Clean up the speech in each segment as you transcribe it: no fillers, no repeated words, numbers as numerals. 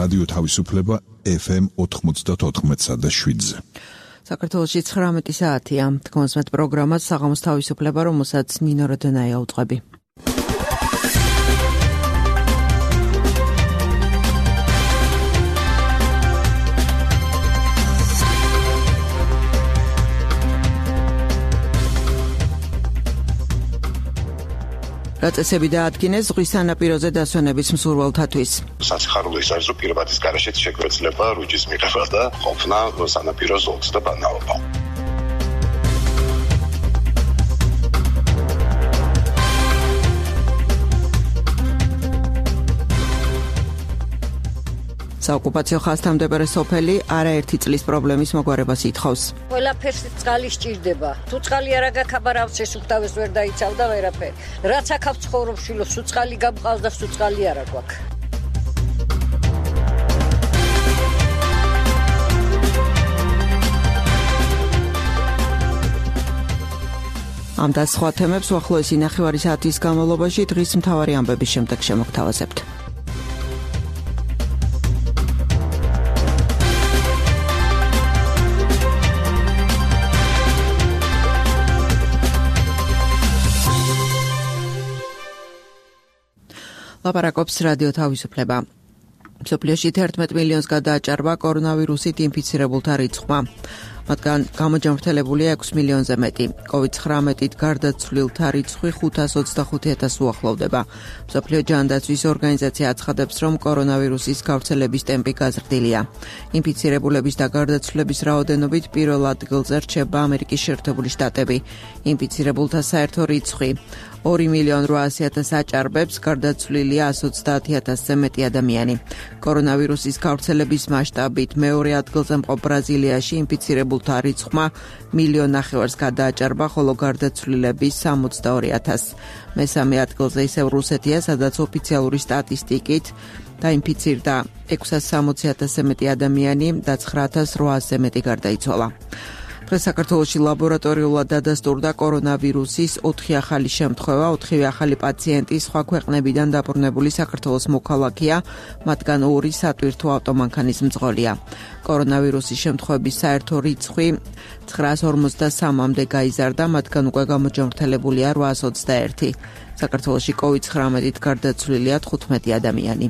რადიო თავისუფლება FM 94.7-ზე. საქართველოში 19 საათია. თქვენს პროგრამას საღამოს თავისუფლება, რომელსაც ნინო როდონაია უწყები. რაწესები დაადგინეს ზღვის სანაპიროზე დასვენების მსურველთათვის. Სასიხარულო ის არის, რომ პირობადის გარეშეც შეგვეძლება რუჯის მიღება და ყოფნა სანაპირო ზოლს და ბანაობა. საოკუპაციო ხაზთამდებარე სოფელი არაერთი წლის პრობლემის მოგვარებას ითხოვს. ყველაფერს წყალი სჭირდება. თუ წყალი არ აგაქაბარავს, ეს უხტავეს ვერ დაიცავდა ვერაფერი. რაც აქ ცხოვრობს შვილო, სულ წყალი გამყავს და სულ წყალი არ აგვაქვს. ამ და სხვა თემებს უახლოესი ნახევარი საათის განმავლობაში დღის მთავარი ამბების შემდეგ შემოგთავაზებთ. ლაპარაკობს რადიო თავისუფლება. მსოფლიოში 11 მილიონს გადააჭარბა კორონავირუსით ინფიცირებულთა რიცხვმა. მათგან გამოჯანმრთელებულია 6 მილიონზე მეტი. COVID-19-ით გარდაცვლილთა რიცხვი 525,000 უახლოვდება. მსოფლიო ჯანდაცვის ორგანიზაცია აცხადებს, რომ კორონავირუსის გავრცელების ტემპი გაზრდილია. ინფიცირებულების და გარდაცვლილების რაოდენობით პირველ ადგილზე რჩება ამერიკის შეერთებული შტატები. ინფიცირებულთა საერთო რიცხვი 2,800,000 აჭარბებს, გარდაცვლილია 130,000-ზე მეტი ადამიანი. კორონავირუსის გავრცელების მასშტაბით მეორე ადგილზე მყოფ ბრაზილიაში ინფიცირებულთა რიცხვმა 1,500,000-ს გადააჭარბა, ხოლო გარდაცვლილების 62,000. მესამე ადგილზე ისევ რუსეთია, სადაც ოფიციალური სტატისტიკით დაინფიცირდა 660,000-ზე მეტი ადამიანი და 9,800-ზე მეტი გარდაიცვალა. დღეს საქართველოში ლაბორატორიულად დადასტურდა კორონავირუსის 4 ახალი შემთხვევა, 4 ახალი პაციენტი სხვა ქვეყნებიდან დაბრუნებული საქართველოს მოქალაქეა, მათგან 2 სატვირთო ავტომანქანის მძღოლია. კორონავირუსის შემთხვევების საერთო რიცხვი 953-მდე გაიზარდა, მათგან უკვე გამოჯანმრთელებულია 821. საქართველოში COVID-19-ით გარდაცვლილია 15 ადამიანი.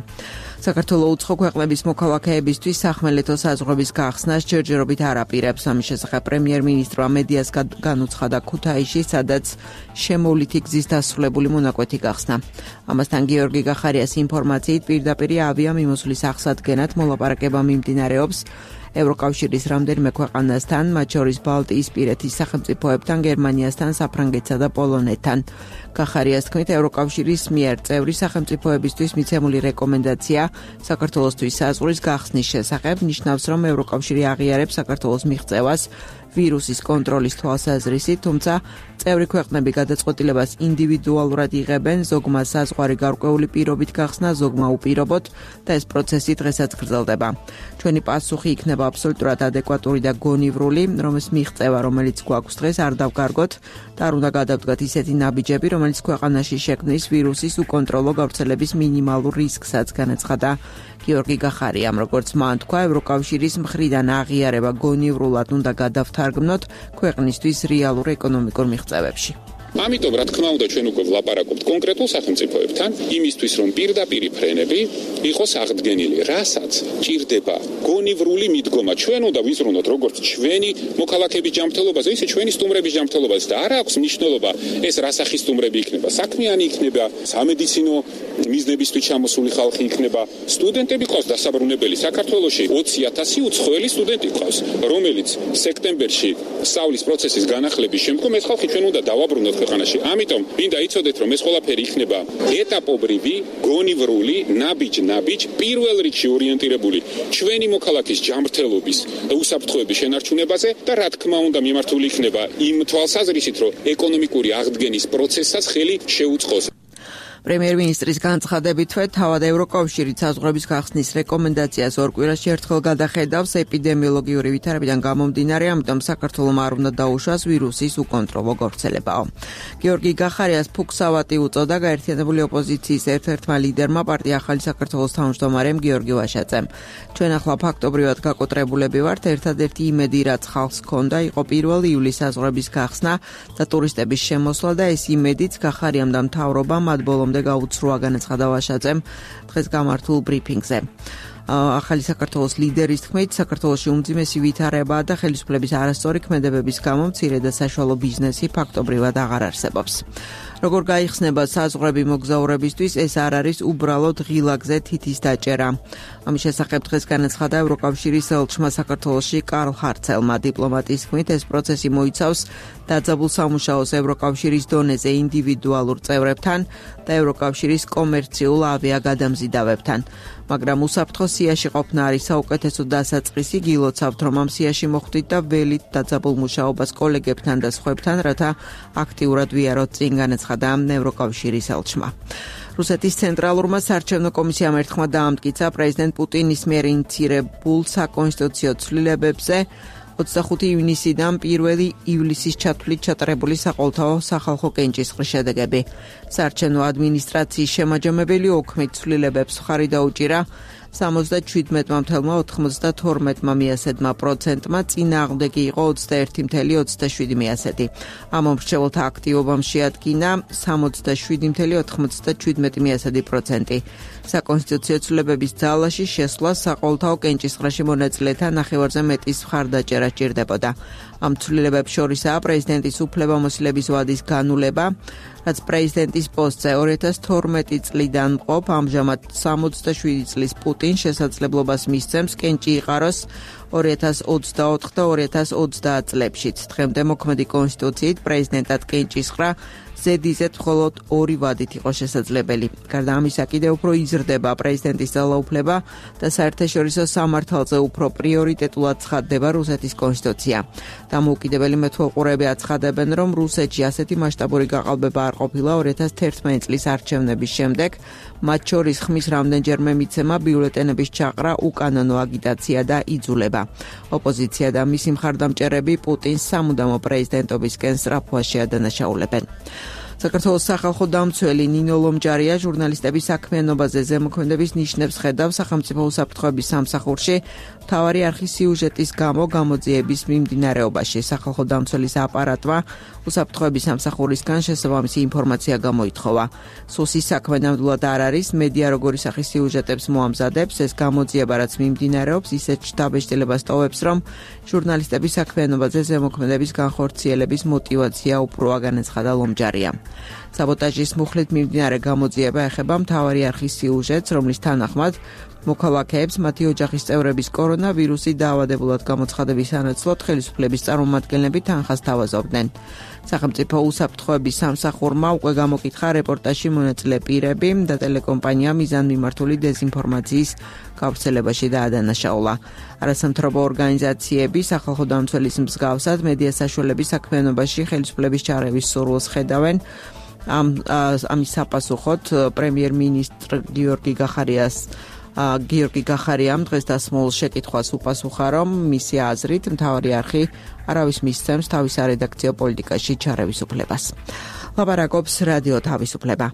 საქართველოს უცხო ქვეყნების მოქალაქეებისთვის სახმელეთო საზღვრების გახსნას ჯერჯერობით არ აპირებს. ამის შესახებ პრემიერ-მინისტრმა მედიას განუცხადა ქუთაისში, სადაც შემოვლითი გზის დასრულებული მონაკვეთი გახსნა. ამასთან გიორგი გახარიას ინფორმაციით პირდაპირ ავიამიმოსვლის აღსადგენად მოლაპარაკება მიმდინარეობს ევროკავშირის რამდენიმე ქვეყანასთან, მათ შორის ბალტიისპირეთის სახელმწიფოებთან, გერმანიასთან, საფრანგეთსა და პოლონეთთან. გახარიას თქმით, ევროკავშირის მიერ წევრი სახელმწიფოებისთვის მიცემული რეკომენდაცია საქართველოსთვის საზღვრის გახსნის შესახებ ნიშნავს, რომ ევროკავშირი აღიარებს საქართველოს მიღწევას ვირუსის კონტროლის თვალსაზრისით, თუმცა წევრი ქვეყნები გადაწყვეტილებას ინდივიდუალურად იღებენ, ზოგმა საზღვარი გარკვეული პირობით გახსნა, ზოგმა უპირობოდ და ეს პროცესი დღესაც გრძელდება. ჩვენი პასუხი იქნება აბსოლუტურად ადეკვატური და გონივრული, რომ ეს მიღწევა, რომელიც გვაქვს დღეს, არ დავგარგოთ და არ უნდა გადავდგათ ისეთი ნაბიჯები, რომელიც ქვეყანაში შექმნის ვირუსის უკონტროლო გავრცელების მინიმალურ რისკსაც, განაცხადა გიორგი გახარიამ. როგორც მან თქვა, ევროკავშირის მხრიდან აღიარება გონივრულად უნდა გადავთარგმნოთ ქვეყნისთვის რეალურ ეკონომიკურ მიღწევებში. ამიტომ რა თქმა უნდა ჩვენ უკვე ვლაპარაკობთ კონკრეტულ სახელმწიფოებთან იმისთვის რომ პირდაპირ ფრენები იყოს აღდგენილი, რასაც ჭირდება გონივრული მიდგომა. ჩვენ უნდა ვიზრუნოთ როგორც ჩვენი მოქალაქეების ჯანმრთელობაზე, ისე ჩვენი სტუმრების ჯანმრთელობაზე და არ აქვს მნიშვნელობა ეს რა სახის სტუმრები იქნება, საქმიანი იქნება, სამედიცინო მიზნებისთვის ჩამოსული ხალხი იქნება, სტუდენტები ყავს დასაბრუნებელი. საქართველოში 20,000 უცხოელი სტუდენტი ყავს, რომელიც სექტემბერში სწავლის პროცესის განახლების შემდგომ ეს ხალხი ჩვენ უნდა დავაბრუნოთ ქვეყანაში. ამიტომ მინდა იცოდეთ, რომ ეს ყველაფერი იქნება ეტაპობრივი, გონივრული, ნაბიჯ, პირველ რიგში ორიენტირებული ჩვენი მოქალაქის ჯანმრთელობის და უსაფრთხოების შენარჩუნებაზე და რა თქმა უნდა მიმართული იქნება იმ თვალსაზრისით, რომ ეკონომიკური აღდგენის პროცესსაც ხელი შეუწყოს. პრემიერ-მინისტრის განცხადებითვე თავად ევროკავშირი საზღვრების გახსნის რეკომენდაციას ორ კვირაში ერთხელ გადახედავს ეპიდემიოლოგიური ვითარებიდან გამომდინარე, ამიტომ საქართველოს არ უნდა დაუშვას ვირუსის უკონტროლო გავრცელებაო. გიორგი გახარიას ფუქსავატი უწოდა გაერთიანებული ოპოზიციის ერთ-ერთმა ლიდერმა პარტია ახალი საქართველოს თავმჯდომარემ გიორგი ვაშაძემ. ჩვენ ახლა ფაქტობრივად გაკოტრებულები ვართ, ერთადერთი იმედი რაც ხალხს ჰქონდა იყო 1 ივლისის საზღვრების გახსნა და ტურისტების შემოსვლა და ეს იმედიც გახარიამ და მთავრობამ მათ ბოლომდე გაუცრუა, განაცხადა ვაშაძემ დღეს გამართულ ბრიფინგზე. ახალი საქართველოს ლიდერის თქმით, საქართველოში უმძიმესი ვითარებაა და ხელისუფლების არასწორი ქმედებების გამო მცირე და საშუალო ბიზნესი ფაქტობრივად აღარ არსებობს. როგორ გაიხსნება საზღვრები მოგზაურებისთვის, ეს არ არის უბრალოდ ღილაკზე თითის დაჭერა. ამის შესახებ დღეს განაცხადა ევროკავშირის ელჩმა საქართველოში კარლ ჰარცელმა. დიპლომატის თქმით, ეს პროცესი მოიცავს დაძაბულ სამუშაოს ევროკავშირის დონეზე ინდივიდუალურ წევრებთან და ევროკავშირის კომერციულ ავიაგადამზიდავებთან. მაგრამ უსაფრთხო სიაში ყოფნა არის საუკეთესო დასაწყისი, გილოცავთ რომ ამ სიაში მოხვდით და ველით დაძაბულ მუშაობას კოლეგებთან და სხვებთან, რათა აქტიურად ვიაროთ წინ, განაცხადა ევროკავშირის ელჩმა. რუსეთის ცენტრალურმა საარჩევნო კომისიამ ერთხმა დაამტკიცა პრეზიდენტ პუტინის მიერ ინიციირებულ საკონსტიტუციო ცვლილებებზე 25 ივნისიდან 1 ივლისის ჩათვლით ჩატარებული საყოველთაო სახალხო კენჭისყრის შედეგები. საარჩევნო ადმინისტრაციის შემაჯამებელი ოქმით ცვლილებებს მხარი დაუჭირა 77,92%-მა, წინააღმდეგი იყო 21,27%. ამ მომრჩეველთა აქტივობამ შეადგინა 67,97%. საკონსტიტუციო ცვლილებების ძალაში შესვლა საყოველთაო კენჭისყრაში მონაწილეთა ნახევარზე მეტის მხარდაჭერა სჭირდებოდა. ამ ცვლილებებს შორისაა პრეზიდენტის უფლებამოსილების ვადის განულება, რაც პრეზიდენტის პოსტზე 2012 წლიდან მყოფ, ამჟამად 67 წლის პუტინს შესაძლებლობას მისცემს კენჭი იყაროს 2024 და 2030 წლებშიც. დღემდე მოქმედი კონსტიტუციით პრეზიდენტად კენჭისყრა ზედიზედ მხოლოდ 2 ვადით იყო შესაძლებელი. გარდა ამისა, კიდევ უფრო იზრდება პრეზიდენტის ძალაუფლება და საერთაშორისო სამართალზე უფრო პრიორიტეტულად ცხადდება რუსეთის კონსტიტუცია. დამოუკიდებელი მეთვალყურეები აცხადებენ, რომ რუსეთში ასეთი მასშტაბური გაყალბება არ ყოფილა 2011 წლის არჩევნების შემდეგ, მათ შორის ხმის რამდენჯერმე მიცემა, ბიულეტენების ჩაყრა, უკანონო აგიტაცია და იძულება. ოპოზიცია და მისი მხარდამჭერები პუტინს სამუდამო პრეზიდენტობისკენ სწრაფვას შეადანაშაულებენ. საქართველოს სახალხო დამცველი ნინო ლომჯარია ჟურნალისტების საქმიანობაზე ზემოქმედების ნიშნებს ხედავს სახელმწიფო უსაფრთხოების სამსახურში მთავარი არხის სიუჟეტის გამო გამოძიების მიმდინარეობაში. სახალხო დამცველის აპარატმა უსაფრთხოების სამსახურისგან შესაბამისი ინფორმაცია გამოითხოვა. სუსის საქმე ნამდვილად არ არის, მედია როგორი სახის სიუჟეტებს მოამზადებს, ეს გამოძიება რაც მიმდინარეობს, ისეთ შთაბეჭდილებას ტოვებს, რომ ჟურნალისტების საქმიანობაზე ზემოქმედების განხორციელების мотиваცია უფროა, განაცხადა ლომჯარია. საბოტაჟის მუხლით მიმდინარე გამოძიება ეხება მთავარი არხის სიუჟეტს, რომლის თანახმად მოქალაქეებს მათი ოჯახის წევრების კორონავირუსი დაავადებულად გამოცხადების სანაცვლოდ ხელისუფლების წარმომადგენლები თანხას თავაზობდნენ. სახელმწიფო უსაფრთხოების სამსახურმა უკვე გამოკითხა რეპორტაჟში მონაწილე პირები და ტელეკომპანია მიზანმიმართული დეზინფორმაციის გავრცელებაში დაადანაშაულა. არასამთავრობო ორგანიზაციები სახალხო დამცველის მსგავსად მედია საშუალების საქმიანობაში ხელისუფლების ჩარევის სურვილს ხედავენ. ამის საპასუხოდ პრემიერ-მინისტრ გიორგი გახარიამ დღეს დასმულ შეკითხვას უპასუხა, რომ მისი აზრით მთავარი არხი არავის მისცემს თავის სარედაქციო პოლიტიკაში ჩარევის უფლებას. ლაპარაკობს რადიო თავისუფლება.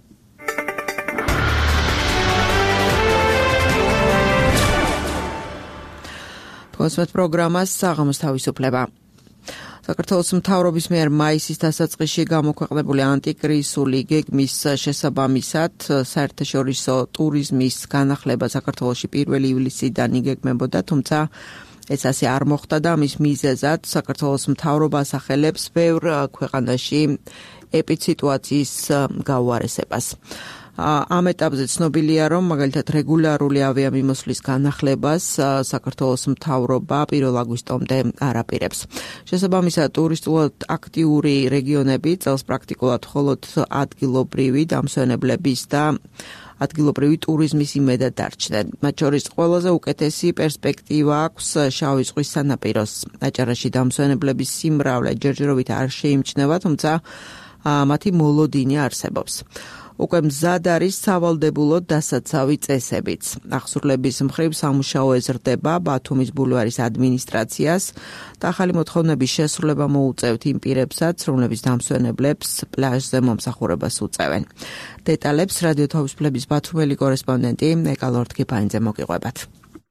კონსვეთ პროგრამას საღამოს თავისუფლება. საქართველოს მთავრობის მიერ მაისის დასაწყისში გამოქვეყნებული ანტიკრიზისული გეგმის შესაბამისად საერთაშორისო ტურიზმის განახლება საქართველოში 1 ივლისიდან იგეგმებოდა, თუმცა ეს ასე არ მოხდა და ამის მიზეზად საქართველოს მთავრობა ასახელებს ბევრ ქვეყანაში ეპიდსიტუაციის გაუარესებას. ამ ეტაპზე ცნობილია, რომ მაგალითად რეგულარული ავიამიმოსვლის განახლებას საქართველოს მთავრობა 1 აგვისტომდე არ აპირებს. შესაბამისად, ტურისტულად აქტიური რეგიონები წელს პრაქტიკულად მხოლოდ ადგილობრივი დამსვენებლების და ადგილობრივი ტურიზმის იმედად დარჩნენ. მათ შორის ყველაზე უკეთესი პერსპექტივა აქვს შავი ზღვის სანაპიროს. აჭარაში დამსვენებლების სიმრავლე ჯერჯერობით არ შეიმჩნევა, თუმცა მათი მოლოდინი არსებობს. უკვე მზად არის სავალდებულო დასაცავი წესებიც. აღსრულების მხრივ სამუშაო ეზრდება ბათუმის ბულვარის ადმინისტრაციას და ახალი მოთხოვნების შესრულება მოუწევთ იმ პირებსაც, რომლებიც დამსვენებლებს პლაჟზე მომსახურებას უწევენ. დეტალებს რადიო თავისუფლების ბათუმელი კორესპონდენტი ეკალორთქიფაინძე მოგიყვებათ.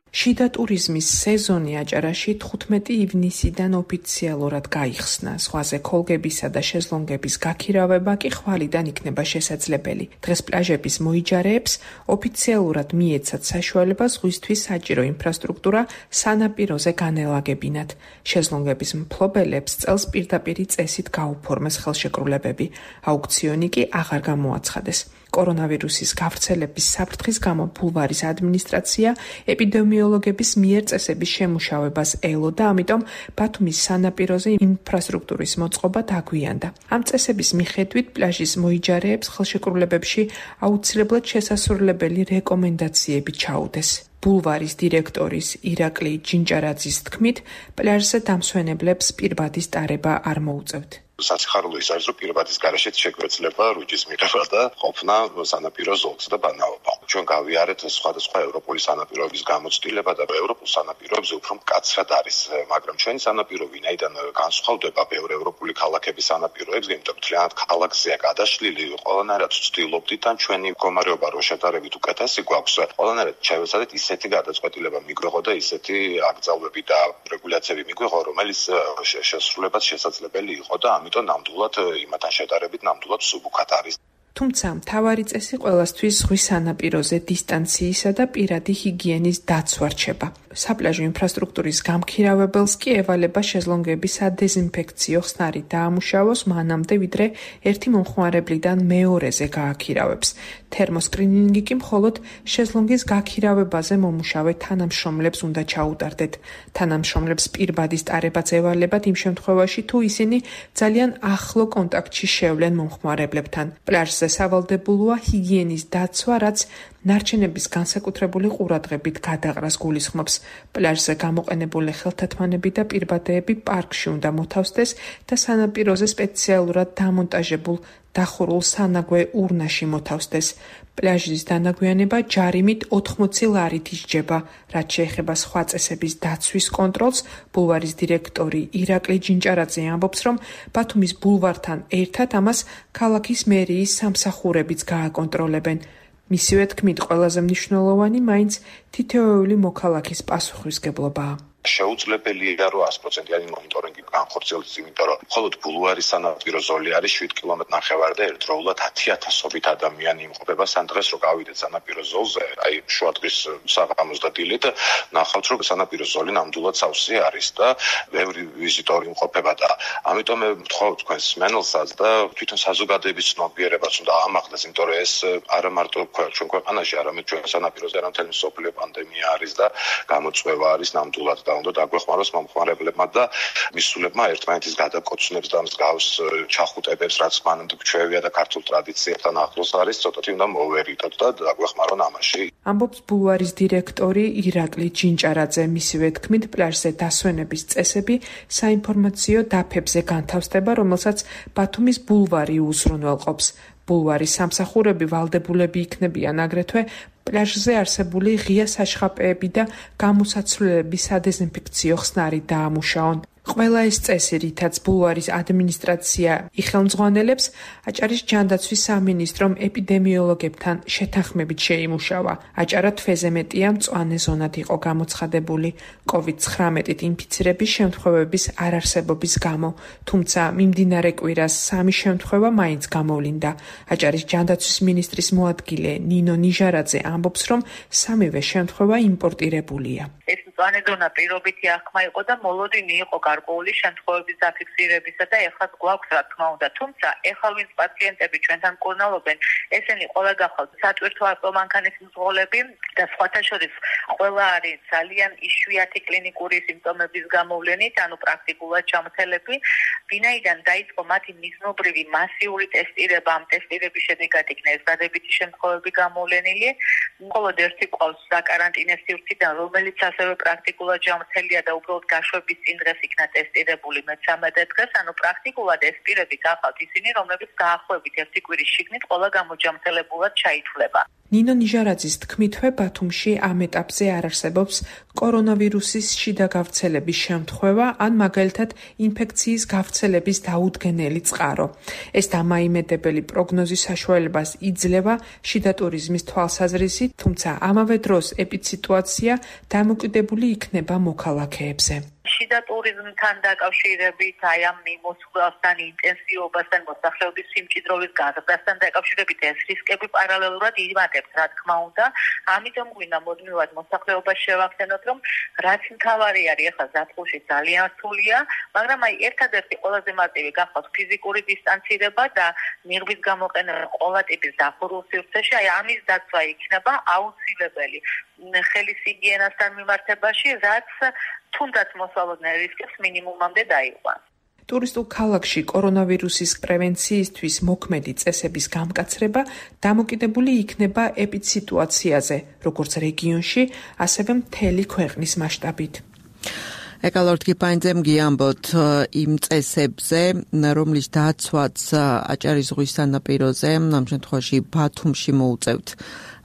შიდა ტურიზმის სეზონი აჭარაში 15 ივნისიდან ოფიციალურად გაიხსნა. ზღვაზე ქოლგებისა და შეზლონგების გაქირავება კი ხვალიდან იქნება შესაძლებელი. დღეს პლაჟების მოიჯარეებს ოფიციალურად მიეცათ საშუალება ზღვისთვის საჭირო ინფრასტრუქტურა სანაპიროზე განელაგებინათ. შეზლონგების მფლობელებს წელს პირდაპირი წესით გაუფორმეს ხელშეკრულებები. აუქციონი კი აღარ გამოაცხადეს. კორონავირუსის გავრცელების საფრთხის გამო ბულვარის ადმინისტრაცია ეპიდემიოლოგების მიერ წესების შემუშავებას ელოდა, ამიტომ ბათუმის სანაპიროზე ინფრასტრუქტურის მოწყობა დაგვიანდა. ამ წესების მიხედვით პლაჟის მოიჯარეებს ხელშეკრულებებში აუცილებლად შესასრულებელი რეკომენდაციები ჩაუდეს. ბულვარის დირექტორის ირაკლი ჯინჭარაძის თქმით, პლაჟზე დამსვენებლებს პირბადის ტარება არ მოუწევთ. საციხარულო ის არის, რომ პირბადის გარეშეც შეგვეძლება რუჯის მიღება და ყოფნა სანაპირო ზოლზე და ბანაობა. ჩვენ გავიარეთ სხვადასხვა ევროპული სანაპიროების გამოცდილება და ევროპულ სანაპიროებზე უფრო მკაცრად არის, მაგრამ ჩვენი სანაპირო ვინაიდან განსხვავდება ბევრი ევროპული ქალაქების სანაპიროებზე, იმიტომ რომ თლიანად ქალაქზეა გადაშლილი, ყველანაირად ვცდილობდით ან ჩვენი მდგომარეობა რო შედარებით უკეთესი გვაქვს, ყველანაირად შევეცადეთ ისეთი გადაწყვეტილება მიგვეღო და ისეთი აკრძალვები და რეგულაციები მიგვეღო, რომელიც შესრულებაც შესაძლებელი იყო და ამიტომ ნამდვილად იმათან შედარებით ნამდვილად სუბუქად არის. თუმცა მთავარი წესი ყველასთვის ზღვის სანაპიროზე დისტანციისა და პირადი ჰიგიენის დაცვა რჩება. საპლაჟო ინფრასტრუქტურის გამქირავებელს კი ევალება შეზლონგების სადეზინფექციო ხსნარი დაამუშავოს მანამდე, ვიდრე ერთი მომხმარებლიდან მეორეზე გააქირავებს. თერმოსკრინინგი კი მხოლოდ შეზლონგის გაქირავებაზე მომუშავე თანამშრომლებს უნდა ჩაუტარდეთ. თანამშრომლებს პირბადის ტარებაც ევალებათ იმ შემთხვევაში, თუ ისინი ძალიან ახლო კონტაქტში შევლენ მომხმარებლებთან. პლაჟზე სავალდებულოა ჰიგიენის დაცვა, რაც ნარჩენების განსაკუთრებული ყურადღებით გადაყრას გულისხმობს. პლაჟზე გამოყენებული ხელთათმანები და პირბადეები პარკში უნდა მოთავსდეს და სანაპიროზე სპეციალურად დამონტაჟებულ დახურულ სანაგვე ურნაში მოთავსდეს. პლაჟის დანაგვიანება ჯარიმით 80 ლარით ისჯება. რაც შეეხება სხვა წესების დაცვის კონტროლს, ბულვარის დირექტორი ირაკლი ჯინჭარაძე ამბობს, რომ ბათუმის ბულვართან ერთად ამას ქალაქის მერიის სამსახურებიც გააკონტროლებენ. მისივე თქმით, ყველაზე მნიშვნელოვანი მაინც თითოეული მოქალაქის პასუხისმგებლობაა. შეუძლებელია რომ 100%-იანი მონიტორინგი განხორციელდეს, იმიტომ რომ მხოლოდ ბულვარის სანაპირო ზოლი არის 7 კმ/ნახევარი და ერთდროულად 10,000-ობით ადამიანი იმყოფება. სან დღეს რო გავიდეთ სანაპირო ზოლზე, აი შუადღის საღამოს და დილით ნახავთ, რომ სანაპირო ზოლი ნამდვილად სავსე არის და ბევრი ვიზიტორი იმყოფება და ამიტომ მე ვთხოვ თქვენს მსმენელსაც და თვითონ საზოგადოების ცნობიერებას უნდა ამაღლდეს, იმიტომ რომ ეს არა მარტო ჩვენ ქვეყანაში, არამედ ჩვენ სანაპიროზე, არამედ მთელი მსოფლიო პანდემია არის და გამოწვევა არის ნამდვილად. უნდა დაგვეხმაროს მომხმარებლებმა და მისულებმა ერთმანეთის გადაკოცნებს და მსგავს ჩახუტებებს, რაც მანამდე გვჩვევია და ქართულ ტრადიციებთან ახლოს არის, ცოტათი უნდა მოვერიდოთ და დაგვეხმარონ ამაში. ამბობს ბულვარის დირექტორი ირაკლი ჯინჭარაძე. მისივე თქმით, პლაჟზე დასვენების წესები საინფორმაციო დაფებზე განთავსდება, რომელსაც ბათუმის ბულვარი უზრუნველყოფს. ბულვარის სამსახურები ვალდებულები იქნებიან აგრეთვე პლაჟზე არსებული ღია საშხაპეები და გამოსაცვლელების სადეზინფექციო ხსნარი დაამუშავონ. ყველა ეს წესი, რითაც ბულვარის ადმინისტრაცია იხელმძღვანელებს, აჭარის ჯანდაცვის სამინისტრომ ეპიდემიოლოგებთან შეთანხმებით შეიმუშავა. აჭარა თვეზე მეტია მწვანე ზონად იყო გამოცხადებული COVID-19-ით ინფიცირების შემთხვევების არარსებობის გამო, თუმცა მიმდინარე კვირას 3 შემთხვევა მაინც გამოვლინდა. აჭარის ჯანდაცვის მინისტრის მოადგილე ნინო ნიჟარაძე ამბობს, რომ 3-ვე შემთხვევა იმპორტირებულია. ეს მწვანე ზონა პირობითი აღქმა იყო და მოლოდინი იყო გარკვეული შემთხვევების დაფიქსირებისა და ეხლა გვაქვს რა თქმა უნდა, თუმცა ეხლა ვინც პაციენტები ჩვენთან მკურნალობენ, ესენი ყველა გახავთ სატვირთო არტომანქანის მძღოლები და სხვათა შორის ყველა არის ძალიან იშვიათი კლინიკური სიმპტომების გამოვლენით, ანუ პრაქტიკულად ჩამოთელები, ვინაიდან დაიწყო მათი მიზნობრივი მასიური ტესტირება, ამ ტესტირების შედეგად იქნა ეს დადებითი შემთხვევები გამოვლენილი, მხოლოდ ერთი ყავს საკარანტინე სივრციდან, რომელიც ასევე პრაქტიკულად ჯანმრთელია და უბრალოდ გაშვების წინ დღეს იქნა ტესტირებული მე-13 დღეს, ანუ პრაქტიკულად ეს პირები გახავთ ისინი, რომლებიც დაახლოებით 1 კვირის შიგნით ყველა გამოჯანმრთელებულად ჩაითვლება. ნინო ნიჟარაძის თქმითვე ბათუმში ამ ეტაპზე არ არსებობს კორონავირუსის შიდა გავრცელების შემთხვევა ან მაგალითად ინფექციის გავრცელების დაუდგენელი წყარო. ეს დამაიმედებელი პროგნოზის საშუალებას იძლევა შიდა ტურიზმის თვალსაზრისით, თუმცა ამავე დროს ეპიდსიტუაცია დამოკიდებული იქნება მოქალაქეებზე. შიდა ტურიზმთან დაკავშირებით, აი ამ მიმოსვლასთან, ინტენსივობასთან, მოსახლეობის სიმჭიდროვის გაზრდასთან დაკავშირებით ეს რისკები პარალელურად იმატებს, რა თქმა უნდა. ამიტომ გვინდა მუდმივად მოსახლეობას შევახსენოთ, რომ რაც მთავარი არის ახლა ზაფხულში ძალიან რთულია, მაგრამ აი ერთადერთი ყველაზე მარტივი გახავთ ფიზიკური დისტანცირება და ნიღბის გამოყენება ყველა ტიპის დახურულ სივრცეში, აი ამის დაცვა იქნება აუცილებელი ხელის ჰიგიენასთან მიმართებაში, რაც თუნდაც მოსალოდნელ რისკებს მინიმუმამდე დაიყვანს. ტურისტულ ქალაქში კორონავირუსის პრევენციისთვის მოქმედი წესების გამკაცრება დამოკიდებული იქნება ეპიდსიტუაციაზე, როგორც რეგიონში, ასევე მთელი ქვეყნის მასშტაბით. ეკალორდ კიპაინძემ გიამბოთ იმ წესებზე, რომლის დაცვაც აჭარის ზღვის სანაპიროზე, ამ შემთხვევაში ბათუმში მოუწევთ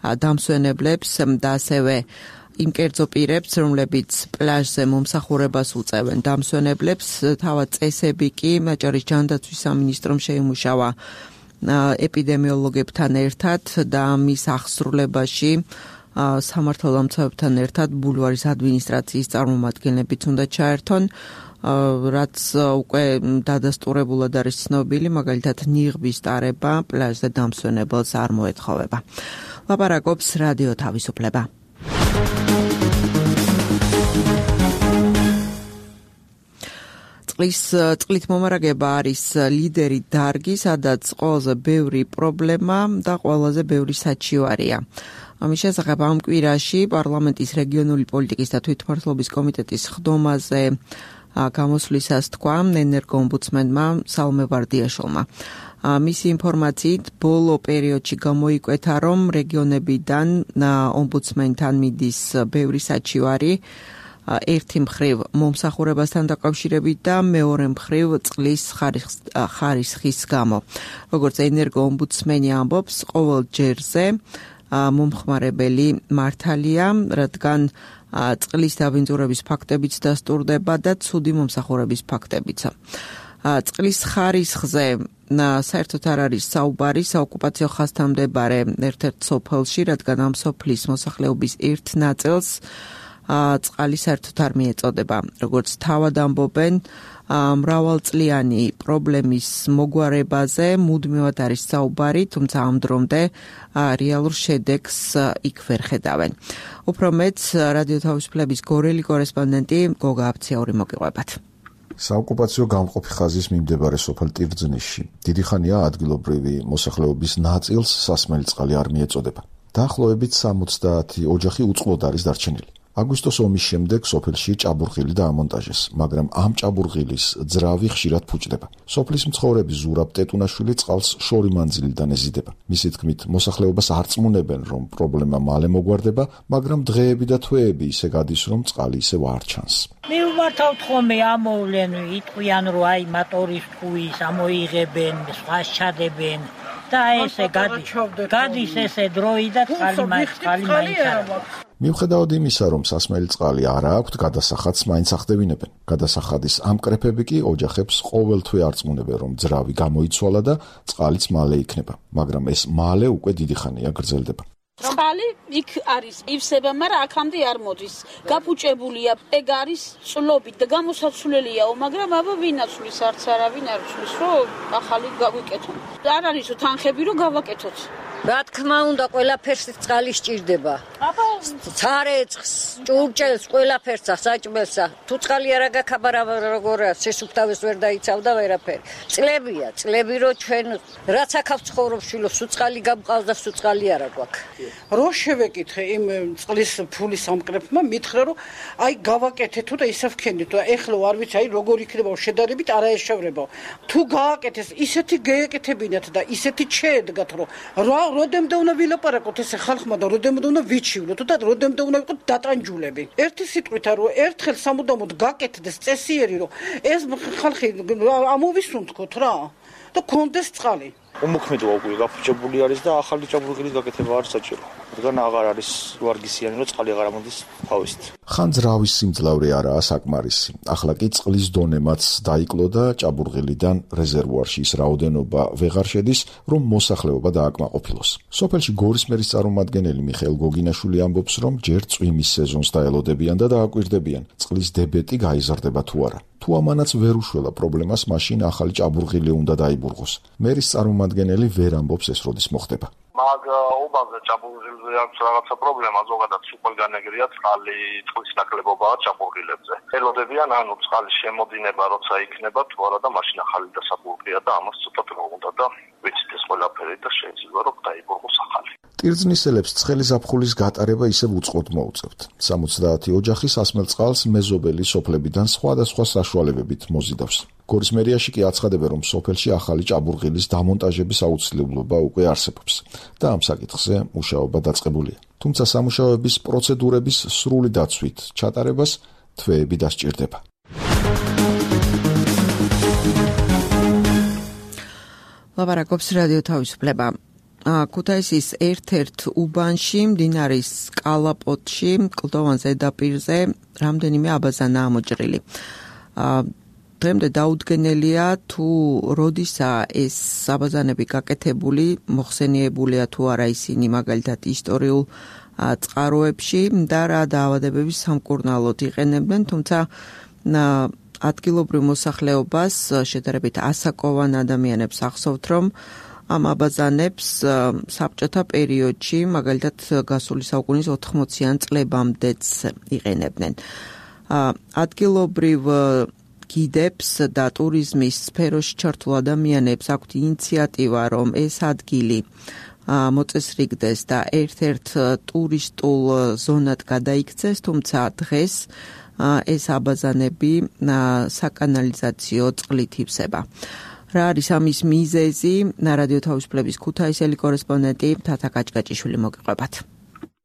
დამსვენებლებს და ასევე იმ კერძო პირებს, რომლებიც პლაჟზე მომსახურებას უწევენ დამსვენებლებს, თავად წესები კი აჭარის ჯანდაცვის სამინისტრომ შეიმუშავა ეპიდემიოლოგებთან ერთად და მის აღსრულებაში სამართალდამცავებთან ერთად ბულვარის ადმინისტრაციის წარმომადგენლებიც უნდა ჩაერთონ, რაც უკვე დადასტურებულად არის ცნობილი, მაგალითად ნიღბის ტარება პლაჟზე დამსვენებელს არ მოეთხოვება. ლაპარაკობს რადიო თავისუფლება. წყლით მომარაგება არის ლიდერი დარგი, სადაც ყველაზე ბევრი პრობლემა და ყველაზე ბევრი საჩივარია. ამის შესახებ ამ კვირაში პარლამენტის რეგიონული პოლიტიკის და თვითმმართველობის კომიტეტის ხდომაზე გამოსვლისას თქვა ენერგოომბუდსმენმა სალმე ვარდიაშვილმა. მისი ინფორმაციით ბოლო პერიოდში გამოიკვეთა, რომ რეგიონებიდან ომბუდსმენთან მიდის ბევრი საჩივარი, ერთი მხრივ მომსახურებასთან დაკავშირებით და მეორე მხრივ წყლის ხარისხის გამო. როგორც ენერგოომბუდსმენი ამბობს, ყოველ ჯერზე მომხმარებელი მართალია, რადგან წყლის დაბინძურების ფაქტებიც დასტურდება და ცუდი მომსახურების ფაქტებიც. წყლის ხარისხზე საერთოდ არ არის საუბარი საოკუპაციო ხაზთან მდებარე ერთ-ერთ სოფელში, რადგან ამ სოფლის მოსახლეობის ერთ ნაწილს წყალი საერთოდ არ მიეწოდება. როგორც თავად ამბობენ, მრავალწლიანი პრობლემის მოგვარებაზე მუდმივად არის საუბარი, თუმცა ამ დრომდე რეალურ შედეგს იქ ვერ ხედავენ. უფრო მეც რადიო თავისუფლების გორელი კორესპონდენტი გოგა აფციაური მოგიყვებათ. საოკუპაციო გამყოფი ხაზის მიმდებარე სოფელ ტირძნიშში დიდი ხანია ადგილობრივი მოსახლეობის ნაწილს სასმელი წყალი არ მიეწოდება. დაახლოებით 70 ოჯახი უწყლოდ არის დარჩენილი. აგვისტოს ომის შემდეგ სოფელში ჭაბურღილი დაამონტაჟეს, მაგრამ ამ ჭაბურღილის ძრავი ხშირად ფუჭდება. სოფლის მცხოვრები ზურაბ ტეტუნაშვილი წყალს შორი მანძილიდან ეზიდება. მისი თქმით, მოსახლეობას არწმუნებენ, რომ პრობლემა მალე მოგვარდება, მაგრამ დღეები და თვეები ისე გადის, რომ წყალი ისევ არ ჩანს. მივმართავთ ხოლმე ამოვლენ, იტყვიან, რომ აი მოტორის თქვის ამოიღებენ, სხვას ჩადებენ და ესე გადის ესე დროი და წყალი მაინც არ აქვს. მიუხედავად იმისა, რომ სასმელი წყალი არ აქვთ, გადასახადს მაინც ახდევინებენ. გადასახადის ამ კრეფები კი ოჯახებს ყოველთვე არწმუნებენ, რომ ძრავი გამოიცვალა და წყალიც მალე იქნება, მაგრამ ეს მალე უკვე დიდი ხანია გრძელდება. წყალი იქ არის ივსება, მაგრამ აქამდე არ მოდის. გაფუჭებულია, ეგ არის წლობით და გამოსაცვლელიაო, მაგრამ აბა ვინაცვლის, არც არავინ არ ცვლის, რომ ახალი გავიკეთოთ. არ არის თანხები, რომ გავაკეთოთ. რა თქმა უნდა, ყველაფერს წყალი სჭირდება. ცარეცხს, ჭურჭელს, ყველაფერსა, საჭმელსა. თუ წყალი არ გაქაბარა როგორია, სესუფთავეს ვერ დაიცავდა ვერაფერი. წლებია, წლები რო ჩვენ რაც აქ ცხოვრობს შვილო, სუწყალი გამყავს და სუწყალი არა გვაქვს. რო შევეკითხე იმ წყლის ფულის ამკრეფმა, მითხრა რომ აი გავაკეთეთო და ისე ვქენდით და ეხლა არ ვიცი აი როგორ იქნება შედარებით არაეშევრება. თუ გააკეთეს ისეთი გეეკეთებინათ და ისეთი შეედგათ რომ როდემდე უნდა ვილაპარაკოთ ესე ხალხმა და როდემდე უნდა ვიცი მაშივლოთ და როდემდე უნდა ვიყოთ დატანჯულები. ერთი სიტყვით რომ ერთხელ სამუდამოდ გაკეთდეს წესიერი რომ ეს ხალხი ამოვისუნთქოთ რა და კონდეს წყალი. უმოქმედო უკვე გაფუჭებული არის და ახალი ჭაბურღილის გაკეთება არ საჭირო. რადგან აღარ არის ვარგისიანი რომ წყალი აღარ ამოდის თავისით. ხან ძრავის სიმძლავრე არაა საკმარისი. ახლა კი წყლის დონემაც დაიკლო და ჭაბურღილიდან რეზერვუარში ის რაოდენობა ვეღარ შედის, რომ მოსახლეობა დააკმაყოფილოს. სოფელში გორის მერის წარმომადგენელი მიხეილ გოგინაშვილი ამბობს, რომ ჯერ წვიმის სეზონს დაელოდებიან და დააკვირდებიან, წყლის დებეტი გაიზრდება თუ არა. თუ ამანაც ვერ უშველა პრობლემას, მაშინ ახალი ჭაბურღილი უნდა დაიბურღოს. მერის წარმომადგენელი ვერ ამბობს ეს როდის მოხდება. მაგ უბანზე ჭაბურღილზე აქვს რაღაცა პრობლემა, ზოგადად სულ განეგრია წყალი, წყლის ნაკლებობაა ჭაბურღილებზე. ელოდებიან ანუ წყალის შემოდინება როცა იქნება თუ არა და მაშინ ახალი დასაბურღია და ამას ცოტა დრო უნდა და ვიცით ეს ყველაფერი და შეიძლება რომ დაიბურღოს ახალი. ტირზნისელებს ცხელი ზაფხულის გატარება ისევ უწყლოდ მოუწევთ. 70 ოჯახი სასმელ წყალს მეზობელი სოფლებიდან სხვადასხვა საშუალებებით მოზიდავს. გორის მერიაში კი აცხადებენ, რომ სოფელში ახალი ჭაბურღილის დამონტაჟების აუცილებლობა უკვე არსებობს და ამ საკითხზე მუშაობა დაწყებულია. თუმცა სამუშაოების პროცედურების სრული დაცვით ჩატარებას თვეები დასჭირდება. ლაპარაკობს რადიო თავისუფლება. ქუთაისის ერთ-ერთ უბანში, მდინარის კალაპოტში, კლდოვან ზედაპირზე რამდენიმე აბაზანაა მოჭრილი. დღემდე დაუდგენელია თუ როდისაა ეს აბაზანები გაკეთებული, მოხსენიებულია თუ არა ისინი მაგალითად ისტორიულ წყაროებში და რა დაავადებების სამკურნალოდ იყენებდნენ, თუმცა ადგილობრივ მოსახლეობას შედარებით ასაკოვან ადამიანებს ახსოვთ, რომ ამ აბაზანებს საბჭოთა პერიოდში, მაგალითად გასული საუკუნის 80-იან წლებამდეც იყენებდნენ. ადგილობრივ გიდებს და ტურიზმის სფეროში ჩართულ ადამიანებს აქვთ ინიციატივა, რომ ეს ადგილი მოწესრიგდეს და ერთ-ერთ ტურისტულ ზონად გადაიქცეს, თუმცა დღეს ეს აბაზანები საკანალიზაციო წყლით ივსება. რა არის ამის მიზეზი? რადიო თავისუფლების ქუთაისელი კორესპონდენტი თათა კაჭკაჭიშვილი მოგიყვებათ.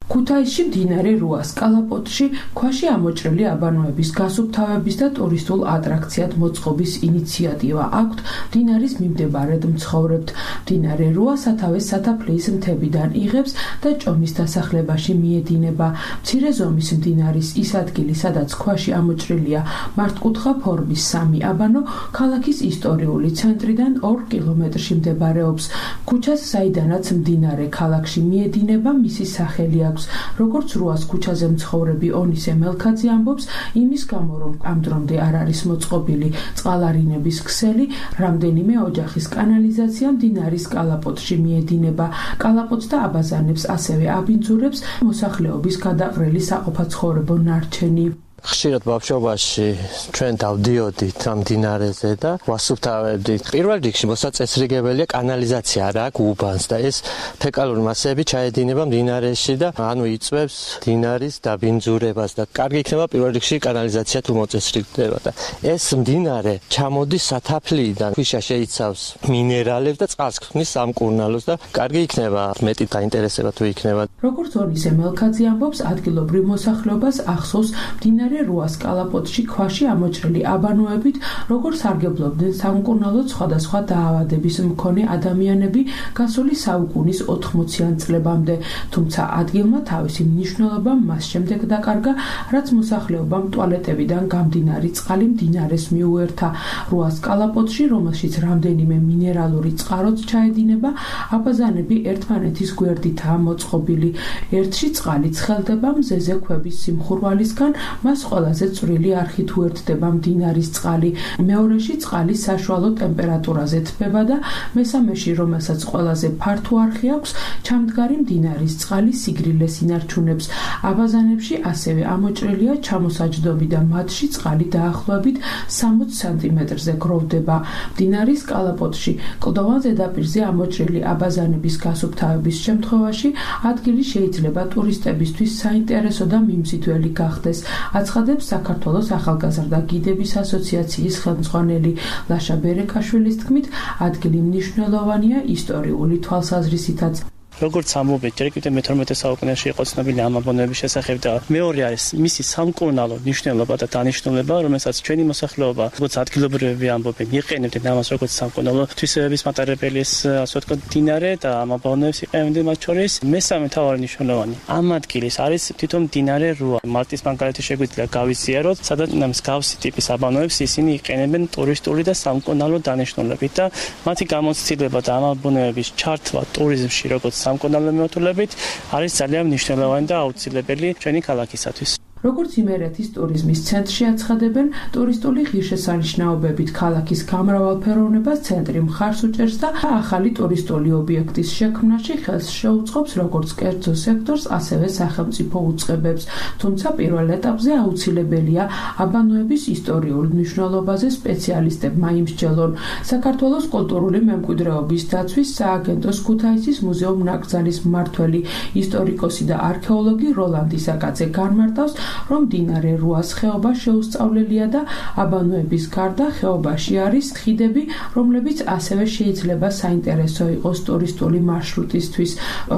ქუთაისში მდინარე რუას კალაპოტში ქვაში ამოჭრილი აბანოების გასუფთავების და ტურისტულ ატრაქციად მოწყობის ინიციატივა აქვთ მდინარის მიმდებარედ მცხოვრებთ. მდინარე რუა სათავეს სათაფლიის მთებიდან იღებს და ჭომის დასახლებაში მიედინება. მცირე ზომის მდინარის ის ადგილი, სადაც ქვაში ამოჭრილია მართკუთხა ფორმის 3 აბანო, ქალაქის ისტორიული ცენტრიდან 2 კილომეტრში მდებარეობს. ქუჩას, საიდანაც მდინარე ქალაქში მიედინება, მისი სახელი აქვს. როგორც რუას ქუჩაზე მცხოვრები ონისე მელქაძე ამბობს, იმის გამო, რომ ამ დრომდე არ არის მოწყობილი წყალარინების ქსელი, რამდენიმე ოჯახის კანალიზაცია მდინარის კალაპოტში მიედინება. კალაპოტს და აბაზანებს ასევე აბინძურებს მოსახლეობის გადაყრილი საყოფაცხოვრებო ნარჩენი. ხშირად ბავშვობაში ჩვენ დავდიოდით ამ მდინარეზე და ვასუფთავებდით. პირველ რიგში მოსაწესრიგებელია კანალიზაცია რა აქვს უბანს და ეს ფეკალური მასები ჩაედინება მდინარეში და ანუ იწვევს მდინარის დაბინძურებას და კარგი იქნება პირველ რიგში კანალიზაცია თუ მოწესრიგდება და ეს მდინარე ჩამოდის სათაფლიიდან, ქვიშა შეიცავს მინერალებს და წყალს ქმნის სამკურნალოს და კარგი იქნება მეტი დაინტერესება თუ იქნება. როგორც ონისე მელქაძე ამბობს, ადგილობრივ მოსახლეობას ახსოვს მდინარე რუას კალაპოტში ქვაში ამოჭრილი აბანოებით, როგორც სარგებლობდნენ სამკურნალოდ სხვადასხვა დაავადების მქონე ადამიანები გასული საუკუნის 80-იან წლებამდე, თუმცა ადგილმა თავისი მნიშვნელობა მას შემდეგ დაკარგა, რაც მოსახლეობამ ტუალეტებიდან გამდინარი წყალი მდინარეს მიუერთა. რუას კალაპოტში, რომელშიც რამდენიმე მინერალური წყაროც ჩაედინება, აბაზანები ერთმანეთის გვერდითაა მოწყობილი. ერთში წყალი ცხელდება მზეზე ქვების სიმხურვალისგან, მას ყველაზე წვრილი არხით უერთდება მდინარის წყალი. მეორეში წყალი საშუალო ტემპერატურაზე თბება და მესამეში, რომელსაც ყველაზე ფართო არხი აქვს, ჩამდგარი მდინარის წყალი სიგრილეს ინარჩუნებს. აბაზანებში ასევე ამოჭრილია ჩამოსაჯდომი და მათში წყალი დაახლოებით 60 სანტიმეტრზე გროვდება. მდინარის კალაპოტში კლდოვან ზედაპირზე ამოჭრილი აბაზანების გასუფთავების შემთხვევაში ადგილი შეიძლება ტურისტებისთვის საინტერესო და მიმზიდველი გახდეს. აცხადებს საქართველოს ახალგაზრდა გიდების ასოციაციის ხელმძღვანელი ლაშა ბერეკაშვილის თქმით, ადგილი მნიშვნელოვანია ისტორიული თვალსაზრისითაც. როგორც ამობეთ, ჯერ კიდევ მე-12 საუკუნეში იყო ცნობილი ამ აბონოების შესახებ და მეორე არის მისი სამკურნალო მნიშვნელობა და დანიშნულება, რომელსაც ჩვენი მოსახლეობა, როგორც ადგილობრივები ამბობენ, იყენებდნენ ამას როგორც სამკურნალო თვისებების მატარებელის, ასე ვთქვათ, მდინარე და ამ აბონოებს იყენებდნენ მათ შორის. მესამე მთავარი მნიშვნელოვანი ამ ადგილის არის თვითონ მდინარე რუა. მალტის მაგალითი შეგვიძლია გავიზიაროთ, სადაც მსგავსი ტიპის აბონოებს ისინი იყენებენ ტურისტული და სამკურნალო დანიშნულებით და მათი გამოცდილება და ამ აბონოების ჩართვა ტურიზმში როგორც სამკურნალო მიმართულებით არის ძალიან მნიშვნელოვანი და აუცილებელი ჩვენი ქალაქისათვის. როგორც იმერეთის ტურიზმის ცენტრში აცხადებენ, ტურისტული ღირსშესანიშნაობებით ქალაქის გამრავალფეროვნებას ცენტრი მხარს უჭერს და ახალი ტურისტული ობიექტის შექმნაში ხელს შეუწყობს როგორც კერძო სექტორს, ასევე სახელმწიფო უწყებებს. თუმცა პირველ ეტაპზე აუცილებელია აბანოების ისტორიულ მნიშვნელობაზე სპეციალისტებმა იმსჯელონ. საქართველოს კულტურული მემკვიდრეობის დაცვის სააგენტოს ქუთაისის მუზეუმ-ნაკრძალის მმართველი, ისტორიკოსი და არქეოლოგი როლანდი საკაძე განმარტავს, რომ მდინარე რუას ხეობა შეუსწავლელია და აბანოების გარდა ხეობაში არის ხიდები, რომლებიც ასევე შეიძლება საინტერესო იყოს ტურისტული მარშრუტისთვის.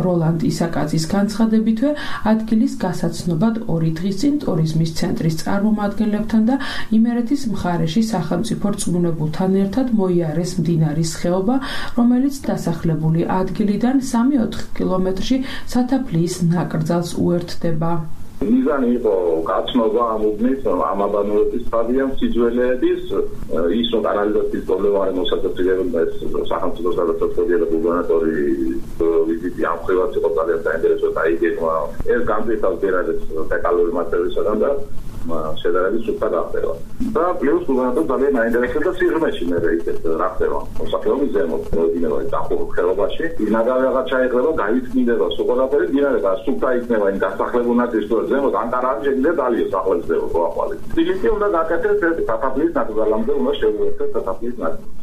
როლანდი საკაძის განცხადებითვე ადგილის გასაცნობად 2 დღის წინ ტურიზმის ცენტრის წარმომადგენლებთან და იმერეთის მხარეში სახელმწიფო რწმუნებულთან ერთად მოიარეს მდინარის ხეობა, რომელიც დასახლებული ადგილიდან 3-4 კილომეტრში სათაფლიის ნაკრძალს უერთდება. მიზანი იყო გაცნობა ამ უბნის ამ აბანოების სტადიამ სიძველეების ის რომ კანალიზაციის პრობლემა არ მოსაწევია ეს სახელმწიფო გადაწყვეტილია და გუბერნატორი ვიზიტი ამ ხევას იყო ძალიან საინტერესო და აიგებმა ეს განვითარდა ბერადეს დაკალორი მასალისგან და შედარებით სუფთა გახდება და პლუს გუბერნატორი ძალიან აინტერესებდა სიღრმეში მე ისეთ რა ხდება მოსახლეობის ზემოთ მოდინება დახურულ ხეობაში ნაგავეღა ჩაიხრება გაიწმინდება სოკოლაფერი დინარება სუფთა იქნება იმ დასახლებულ ნაწილში ზემოთ ანკარაში შეიძლება დალიოს ახალისდება ყოაყალი თბილისი უნდა გაკეთდეს ეს საფაფლის ნაკრძალამდე უნდა შეუერთდეს საფაფლის ნაწილს.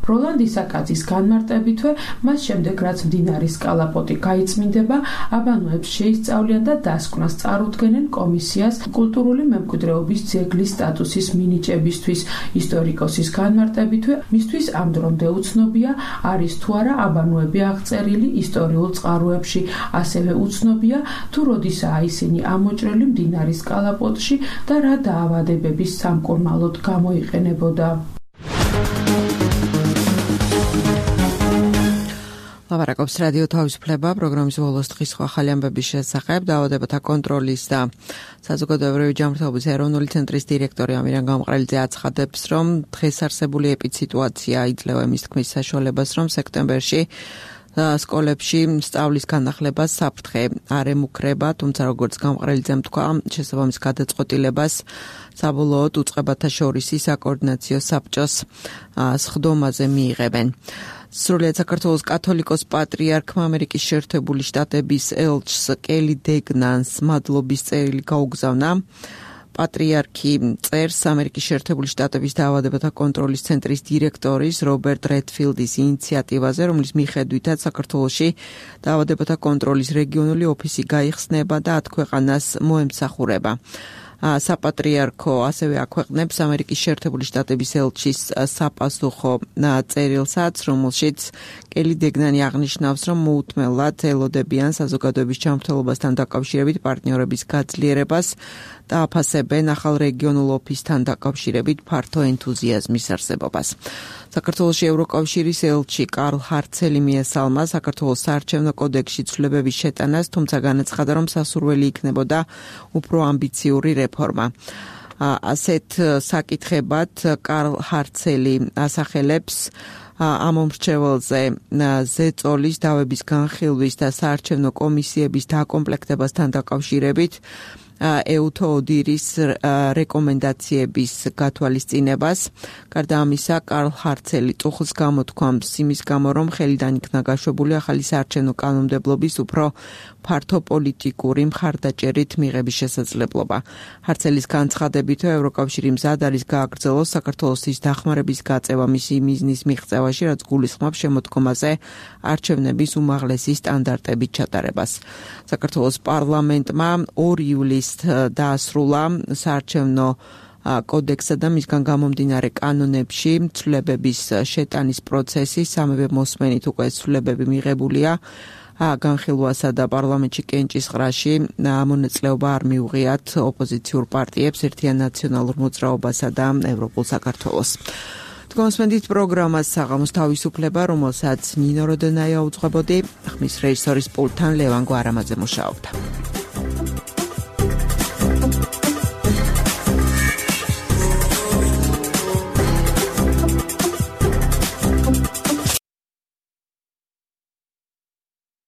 როლანდი საკაძის განმარტებითვე მას შემდეგ რაც მდინარის კალაპოტი გაიწმინდება, აბანოებს შეისწავლიან და დასკვნას წარუდგენენ კომისიას კულტურული მემკვიდრეობის ძეგლის სტატუსის მინიჭებისთვის. ისტორიკოსის განმარტებითვე მისთვის ამ დრომდე უცნობია არის თუ არა აბანოები აღწერილი ისტორიულ წყაროებში, ასევე უცნობია თუ როდისაა ისინი ამოჭრილი მდინარის კალაპოტში და რა დაავადებების სამკურნალოდ გამოიყენებოდა. ლაპარაკობს რადიო თავისუფლება პროგრამის ბოლოს დღის ახალი ამბების შესახებ დაავადებათა კონტროლის და საზოგადოებრივი ჯანმრთელობის ეროვნული ცენტრის დირექტორი ამირან გამყრელიძე აცხადებს, რომ დღეს არსებული ეპიდსიტუაცია იძლევა იმის თქმის საშუალებას, რომ სექტემბერში სკოლებში სწავლის განახლებას საფრთხე არ ემუქრება, თუმცა როგორც გამყრელიძემ თქვა, შესაბამის გადაწყვეტილებას საბოლოოდ უწყებათა შორის საკოორდინაციო საბჭოს სხდომაზე მიიღებენ. სრულიად საქართველოს კათოლიკოს პატრიარქმა ამერიკის შეერთებული შტატების ელჩს კელი დეგნანს მადლობის წერილი გაუგზავნა. პატრიარქი წერს ამერიკის შეერთებული შტატების დაავადებათა კონტროლის ცენტრის დირექტორის რობერტ რედფილდის ინიციატივაზე, რომლის მიხედვითაც საქართველოში დაავადებათა კონტროლის რეგიონული ოფისი გაიხსნება და 10 ქვეყანას მოემსახურება. საპატრიარქო ასევე აქვეყნებს ამერიკის შეერთებული შტატების ელჩის საპასუხო წერილსაც, რომელშიც კელი დეგნანი აღნიშნავს, რომ მოუთმელად ელოდებიან საზოგადოების ჯანმრთელობასთან დაკავშირებით პარტნიორების გაძლიერებას და აფასებენ ახალ რეგიონულ ოფისთან დაკავშირებით ფართო ენთუზიაზმის არსებობას. საქართველოში ევროკავშირის ელჩი კარლ ჰარცელი მიესალმა საქართველოს საარჩევნო კოდექსში ცვლილებების შეტანას, თუმცა განაცხადა, რომ სასურველი იქნებოდა უფრო ამბიციური რეფორმა. ასეთ საკითხებად კარლ ჰარცელი ასახელებს ამომრჩეველზე ზეწოლის დავების განხილვის და საარჩევნო კომისიების დაკომპლექტებასთან დაკავშირებით ეუთოოდირის რეკომენდაციების გათვალისწინებას. გარდა ამისა, კარლ ჰარცელი წუხლს გამოთქვამს იმის გამო, რომ ხელიდან იქნა გაშვებული ახალი საარჩევნო კანონმდებლობის უფრო ფართო პოლიტიკური მხარდაჭერით მიღების შესაძლებლობა. ჰარცელის განცხადებით, ევროკავშირი მზად არის გააგრძელოს საქართველოს დახმარების გაწევა მისი მიზნის მიღწევაში, რაც გულისხმობს შემოდგომაზე არჩევნების უმაღლესი სტანდარტებით ჩატარებას. საქართველოს პარლამენტმა 2 ივლისს დაასრულა საარჩევნო კოდექსსა და მისგან გამომდინარე კანონებში ცვლილებების შეტანის პროცესი. სამივე მოსმენით უკვე ცვლილებები მიღებულია განხილვასა და პარლამენტში კენჭისყრაში მონაწილეობა არ მიუღიათ ოპოზიციურ პარტიებს, ერთიან ნაციონალურ მოძრაობასა და ევროპულ საქართველოს. Თქვენსმენდით პროგრამას საღამოს თავისუფლება, რომელსაც ნინო როდონაია უძღვებოდი, ხმის რეჟისორის პულტთან ლევან გვარამაძე მუშაობდა.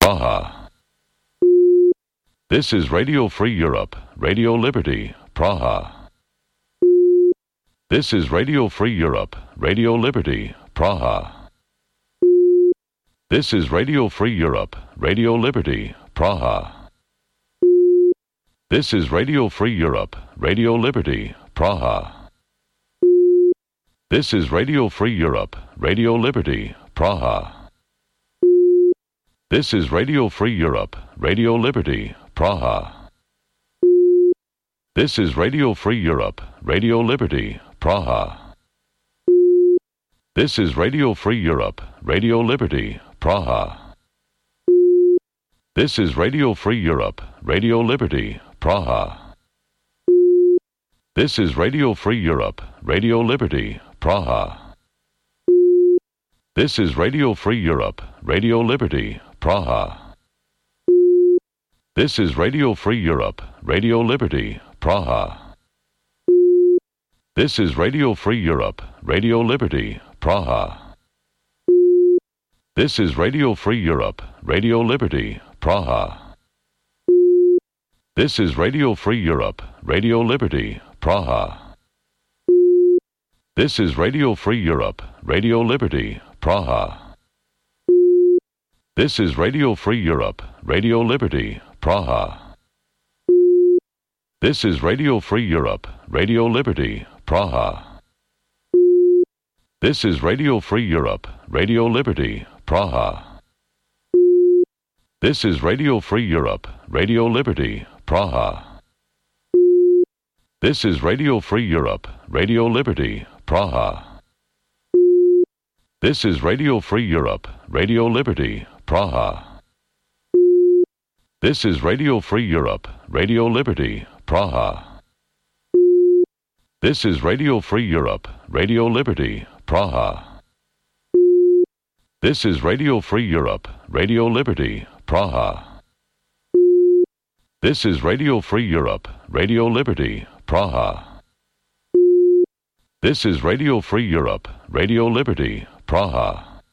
Praha. This is Radio Free Europe, Radio Liberty, Praha. This is Radio Free Europe, Radio Liberty, Praha. This is Radio Free Europe, Radio Liberty, Praha. This is Radio Free Europe, Radio Liberty, Praha. This is Radio Free Europe, Radio Liberty, Praha. This is Radio Free Europe, Radio Liberty, Praha. This is Radio Free Europe, Radio Liberty, Praha. This is Radio Free Europe, Radio Liberty, Praha. This is Radio Free Europe, Radio Liberty, Praha. This is Radio Free Europe, Radio Liberty, Praha. This is Radio Free Europe, Radio Liberty, Praha. This is Radio Free Europe, Radio Liberty, Praha. This is Radio Free Europe, Radio Liberty, Praha. This is Radio Free Europe, Radio Liberty, Praha. This is Radio Free Europe, Radio Liberty, Praha. This is Radio Free Europe, Radio Liberty, Praha. This is Radio Free Europe, Radio Liberty, Praha. This is Radio Free Europe, Radio Liberty, Praha. This is Radio Free Europe, Radio Liberty, Praha. This is Radio Free Europe, Radio Liberty, Praha. This is Radio Free Europe, Radio Liberty, Praha. This is Radio Free Europe, Radio Liberty, Praha. This is Radio Free Europe, Radio Liberty, Praha. This is Radio Free Europe, Radio Liberty, Praha. This is Radio Free Europe, Radio Liberty, Praha. This is Radio Free Europe, Radio Liberty, Praha. This is Radio Free Europe, Radio Liberty, Praha.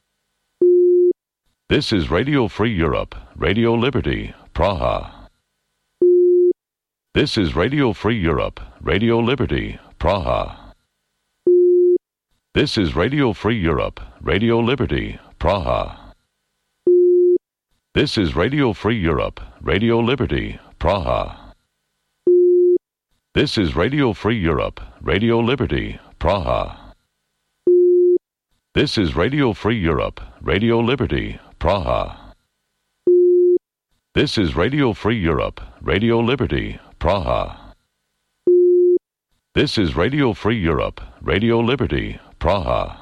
This is Radio Free Europe, Radio Liberty, Praha. This is Radio Free Europe, Radio Liberty, Praha. This is Radio Free Europe, Radio Liberty, Praha. This is Radio Free Europe, Radio Liberty, Praha. This is Radio Free Europe, Radio Liberty, Praha. This is Radio Free Europe, Radio Liberty, Praha. This is Radio Free Europe, Radio Liberty, Praha. This is Radio Free Europe, Radio Liberty, Praha.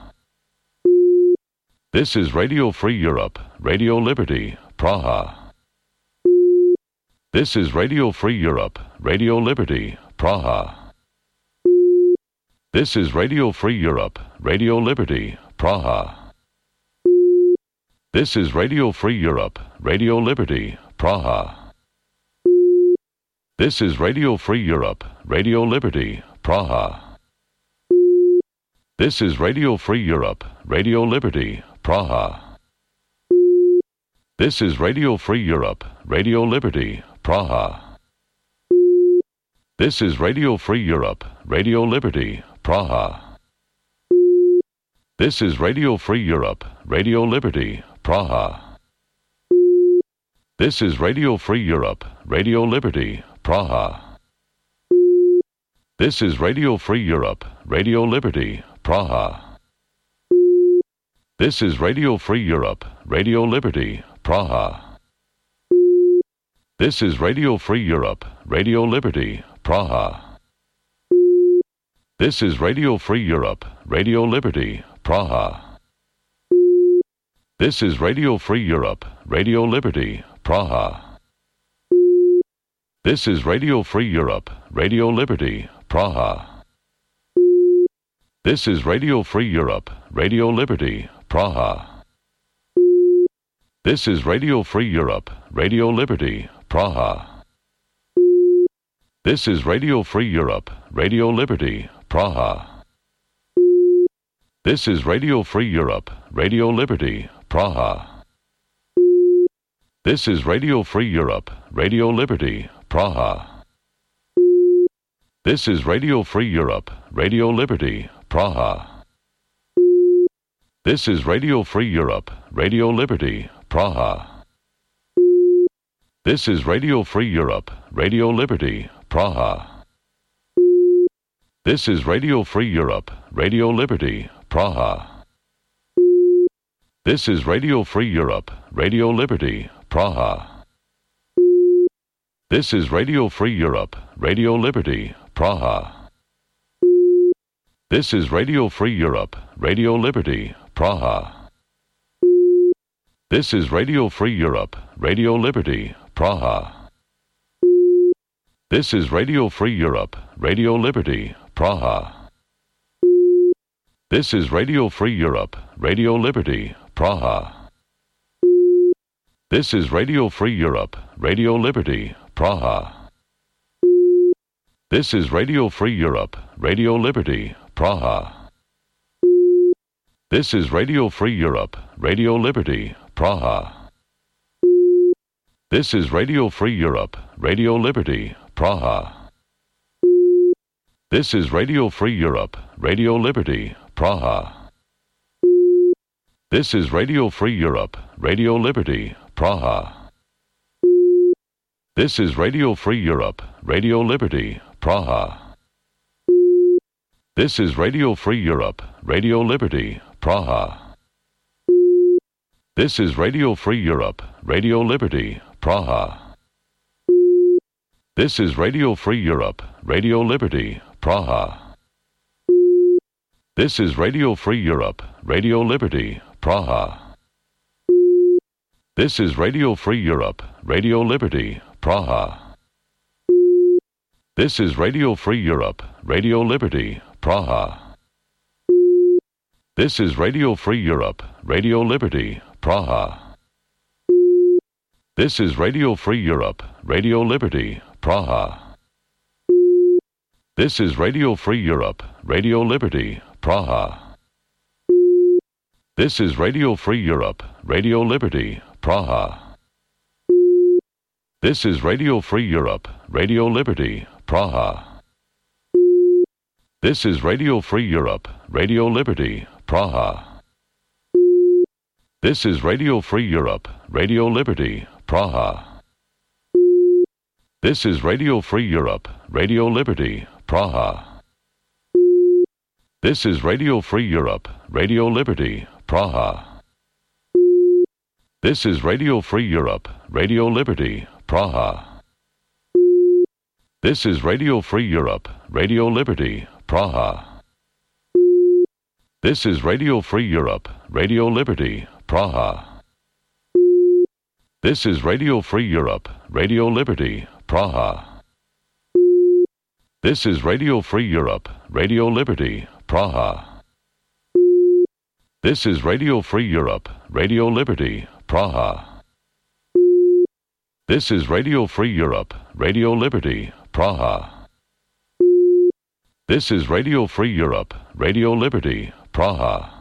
This is Radio Free Europe, Radio Liberty, Praha. This is Radio Free Europe, Radio Liberty, Praha. This is Radio Free Europe, Radio Liberty, Praha. This is Radio Free Europe, Radio Liberty, Praha. This is Radio Free Europe, Radio Liberty, Praha. This is Radio Free Europe, Radio Liberty, Praha. This is Radio Free Europe, Radio Liberty, Praha. This is Radio Free Europe, Radio Liberty, Praha. This is Radio Free Europe, Radio Liberty, Praha. This is Radio Free Europe, Radio Liberty, Praha. This is Radio Free Europe, Radio Liberty, Praha. This is Radio Free Europe, Radio Liberty, Praha. This is Radio Free Europe, Radio Liberty, Praha. This is Radio Free Europe, Radio Liberty, Praha. This is Radio Free Europe, Radio Liberty, Praha. This is Radio Free Europe, Radio Liberty, Praha. This is Radio Free Europe, Radio Liberty, Praha. This is Radio Free Europe, Radio Liberty, Praha. This is Radio Free Europe, Radio Liberty, Praha. This is Radio Free Europe, Radio Liberty, Praha. This is Radio Free Europe, Radio Liberty, Praha. This is Radio Free Europe, Radio Liberty, Praha. This is Radio Free Europe, Radio Liberty, Praha. This is Radio Free Europe, Radio Liberty, Praha. This is Radio Free Europe, Radio Liberty, Praha. This is Radio Free Europe, Radio Liberty, Praha. This is Radio Free Europe, Radio Liberty, Praha. This is Radio Free Europe, Radio Liberty, Praha. This is Radio Free Europe, Radio Liberty, Praha. This is Radio Free Europe, Radio Liberty, Praha. This is Radio Free Europe, Radio Liberty, Praha. This is Radio Free Europe, Radio Liberty, Praha. This is Radio Free Europe, Radio Liberty, Praha. This is Radio Free Europe, Radio Liberty, Praha. This is Radio Free Europe, Radio Liberty, Praha. This is Radio Free Europe, Radio Liberty, Praha. This is Radio Free Europe, Radio Liberty, Praha. This is Radio Free Europe, Radio Liberty, Praha. This is Radio Free Europe, Radio Liberty, Praha. This is Radio Free Europe, Radio Liberty, Praha. This is Radio Free Europe, Radio Liberty, Praha. This is Radio Free Europe, Radio Liberty, Praha. This is Radio Free Europe, Radio Liberty, Praha. This is Radio Free Europe, Radio Liberty, Praha. This is Radio Free Europe, Radio Liberty, Praha. This is Radio Free Europe, Radio Liberty, Praha. This is Radio Free Europe, Radio Liberty, Praha. This is Radio Free Europe, Radio Liberty, Praha. This is Radio Free Europe, Radio Liberty, Praha. This is Radio Free Europe, Radio Liberty, Praha. This is Radio Free Europe, Radio Liberty, Praha. This is Radio Free Europe, Radio Liberty, Praha. This is Radio Free Europe, Radio Liberty, Praha. This is Radio Free Europe, Radio Liberty, Praha. This is Radio Free Europe, Radio Liberty, Praha. This is Radio Free Europe, Radio Liberty, Praha. This is Radio Free Europe, Radio Liberty, Praha. This is Radio Free Europe, Radio Liberty, Praha. This is Radio Free Europe, Radio Liberty, Praha. This is Radio Free Europe, Radio Liberty, Praha. This is Radio Free Europe, Radio Liberty, Praha.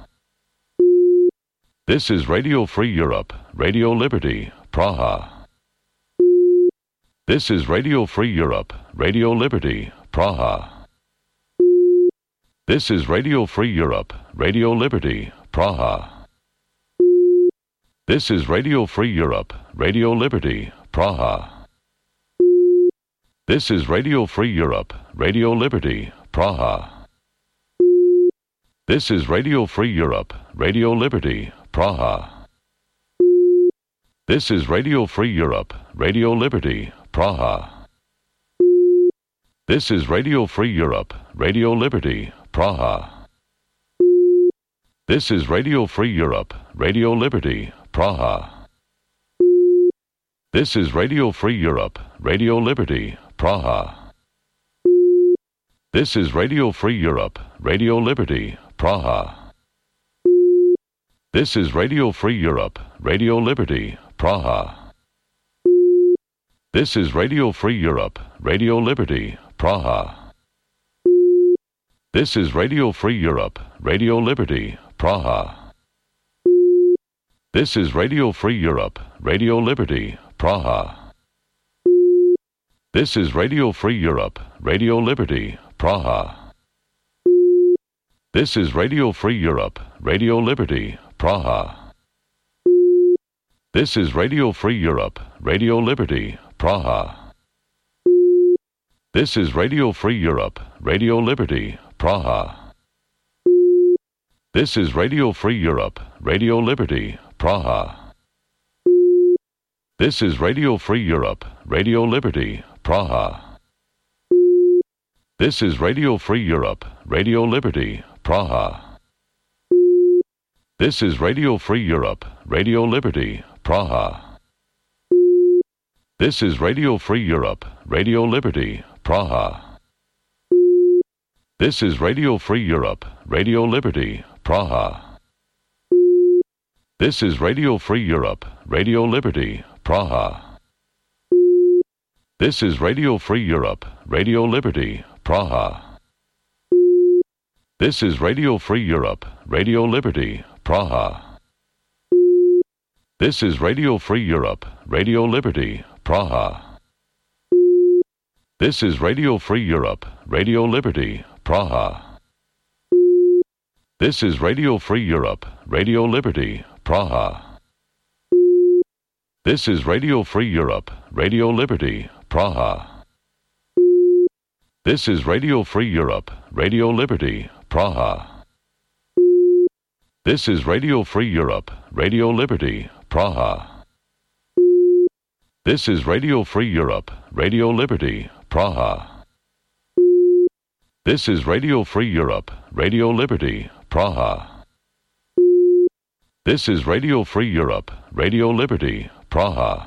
This is Radio Free Europe, Radio Liberty, Praha. This is Radio Free Europe, Radio Liberty, Praha. This is Radio Free Europe, Radio Liberty, Praha. This is Radio Free Europe, Radio Liberty, Praha. This is Radio Free Europe, Radio Liberty, Praha. This is Radio Free Europe, Radio Liberty, Praha. This is Radio Free Europe, Radio Liberty, Praha. This is Radio Free Europe, Radio Liberty, Praha. This is Radio Free Europe, Radio Liberty, Praha. This is Radio Free Europe, Radio Liberty, Praha. This is Radio Free Europe, Radio Liberty, Praha. This is Radio Free Europe, Radio Liberty, Praha. This is Radio Free Europe, Radio Liberty, Praha. This is Radio Free Europe, Radio Liberty, Praha. This is Radio Free Europe, Radio Liberty, Praha. This is Radio Free Europe, Radio Liberty, Praha. This is Radio Free Europe, Radio Liberty, Praha. This is Radio Free Europe, Radio Liberty, Praha. This is Radio Free Europe, Radio Liberty, Praha. This is Radio Free Europe, Radio Liberty, Praha. This is Radio Free Europe, Radio Liberty, Praha. This is Radio Free Europe, Radio Liberty, Praha. This is Radio Free Europe, Radio Liberty, Praha. This is Radio Free Europe, Radio Liberty, Praha. This is Radio Free Europe, Radio Liberty, Praha. This is Radio Free Europe, Radio Liberty, Praha. This is Radio Free Europe, Radio Liberty, Praha. This is Radio Free Europe, Radio Liberty, Praha. This is Radio Free Europe, Radio Liberty, Praha. This is Radio Free Europe, Radio Liberty, Praha. This is Radio Free Europe, Radio Liberty, Praha. This is Radio Free Europe, Radio Liberty, Praha. This is Radio Free Europe, Radio Liberty, Praha. This is Radio Free Europe, Radio Liberty, Praha. This is Radio Free Europe, Radio Liberty, Praha. This is Radio Free Europe, Radio Liberty, Praha. This is Radio Free Europe, Radio Liberty, Praha.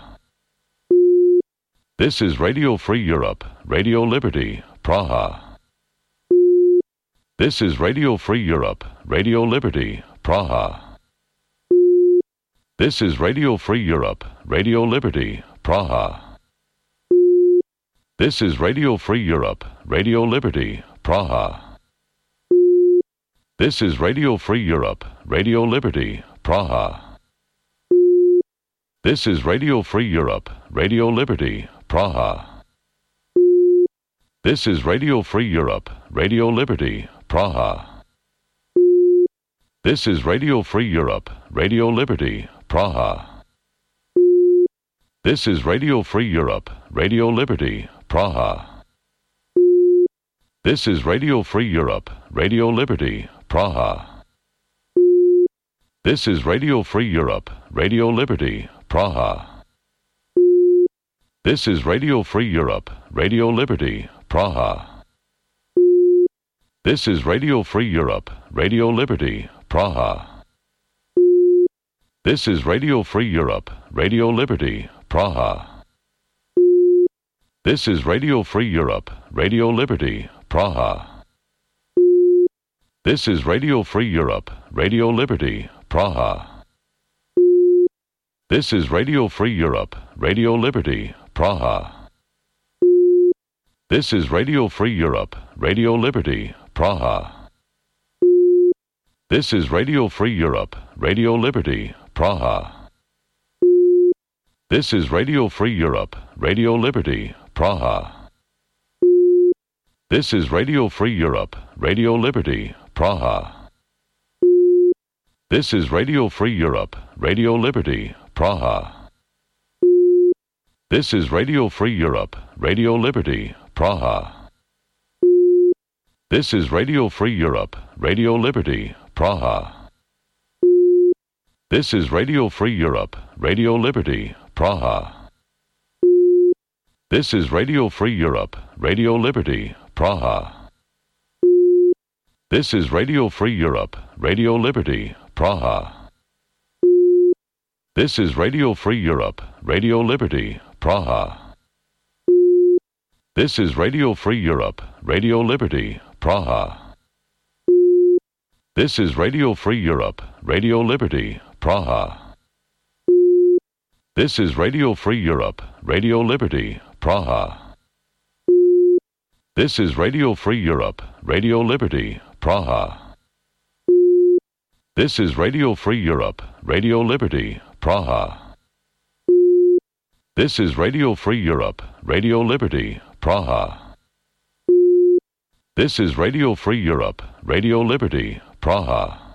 This is Radio Free Europe, Radio Liberty, Praha. This is Radio Free Europe, Radio Liberty, Praha. This is Radio Free Europe, Radio Liberty, Praha. This is Radio Free Europe, Radio Liberty, Praha. This is Radio Free Europe, Radio Liberty, Praha. This is Radio Free Europe, Radio Liberty, Praha. This is Radio Free Europe, Radio Liberty, Praha. This is Radio Free Europe, Radio Liberty, Praha. This is Radio Free Europe, Radio Liberty, Praha. This is Radio Free Europe, Radio Liberty, Praha. This is Radio Free Europe, Radio Liberty, Praha. This is Radio Free Europe, Radio Liberty, Praha. This is Radio Free Europe, Radio Liberty, Praha. This is Radio Free Europe, Radio Liberty, Praha. This is Radio Free Europe, Radio Liberty, Praha. This is Radio Free Europe, Radio Liberty, Praha. This is Radio Free Europe, Radio Liberty, Praha. This is Radio Free Europe, Radio Liberty, Praha. This is Radio Free Europe, Radio Liberty, Praha. This is Radio Free Europe, Radio Liberty, Praha. This is Radio Free Europe, Radio Liberty, Praha. This is Radio Free Europe, Radio Liberty, Praha. This is Radio Free Europe, Radio Liberty, Praha. This is Radio Free Europe, Radio Liberty, Praha. This is Radio Free Europe, Radio Liberty, Praha. This is Radio Free Europe, Radio Liberty, Praha. This is Radio Free Europe, Radio Liberty, Praha. This is Radio Free Europe, Radio Liberty, Praha. This is Radio Free Europe, Radio Liberty, Praha. This is Radio Free Europe, Radio Liberty, Praha. This is Radio Free Europe, Radio Liberty, Praha. This is Radio Free Europe, Radio Liberty, Praha. This is Radio Free Europe, Radio Liberty, Praha. This is Radio Free Europe, Radio Liberty, Praha. This is Radio Free Europe, Radio Liberty, Praha.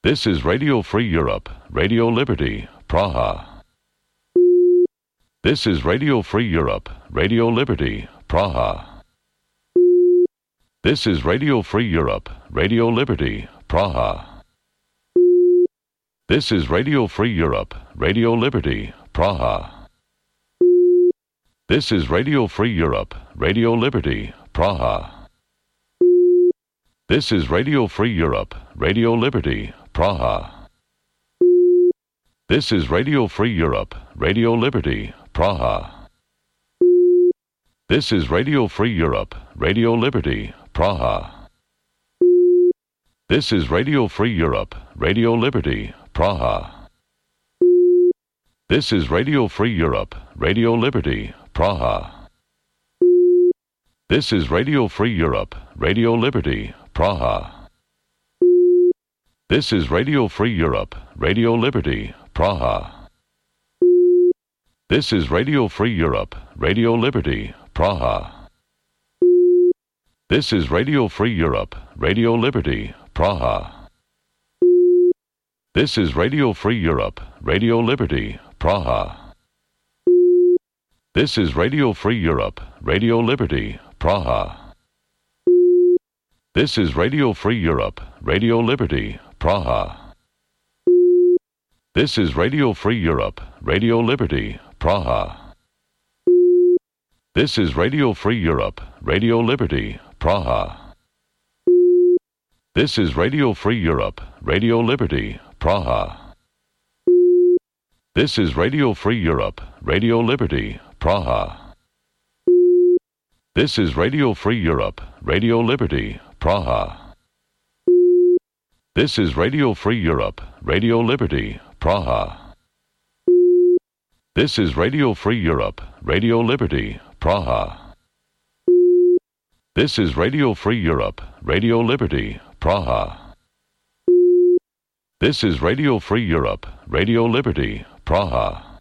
This is Radio Free Europe, Radio Liberty, Praha. This is Radio Free Europe, Radio Liberty, Praha. This is Radio Free Europe, Radio Liberty, Praha. This is Radio Free Europe, Radio Liberty, Praha. This is Radio Free Europe, Radio Liberty, Praha. This is Radio Free Europe, Radio Liberty, Praha. This is Radio Free Europe, Radio Liberty, Praha. This is Radio Free Europe, Radio Liberty, Praha. This is Radio Free Europe, Radio Liberty, Praha. This is Radio Free Europe, Radio Liberty, Praha. This is Radio Free Europe, Radio Liberty, Praha. This is Radio Free Europe, Radio Liberty, Praha. This is Radio Free Europe, Radio Liberty, Praha. This is Radio Free Europe, Radio Liberty, Praha. This is Radio Free Europe, Radio Liberty, Praha. This is Radio Free Europe, Radio Liberty, Praha. This is Radio Free Europe, Radio Liberty, Praha. This is Radio Free Europe, Radio Liberty, Praha. This is Radio Free Europe, Radio Liberty, Praha. This is Radio Free Europe, Radio Liberty, Praha. This is Radio Free Europe, Radio Liberty, Praha. This is Radio Free Europe, Radio Liberty, Praha. This is Radio Free Europe, Radio Liberty, Praha. This is Radio Free Europe, Radio Liberty, Praha. This is Radio Free Europe, Radio Liberty, Praha. This is Radio Free Europe, Radio Liberty, Praha.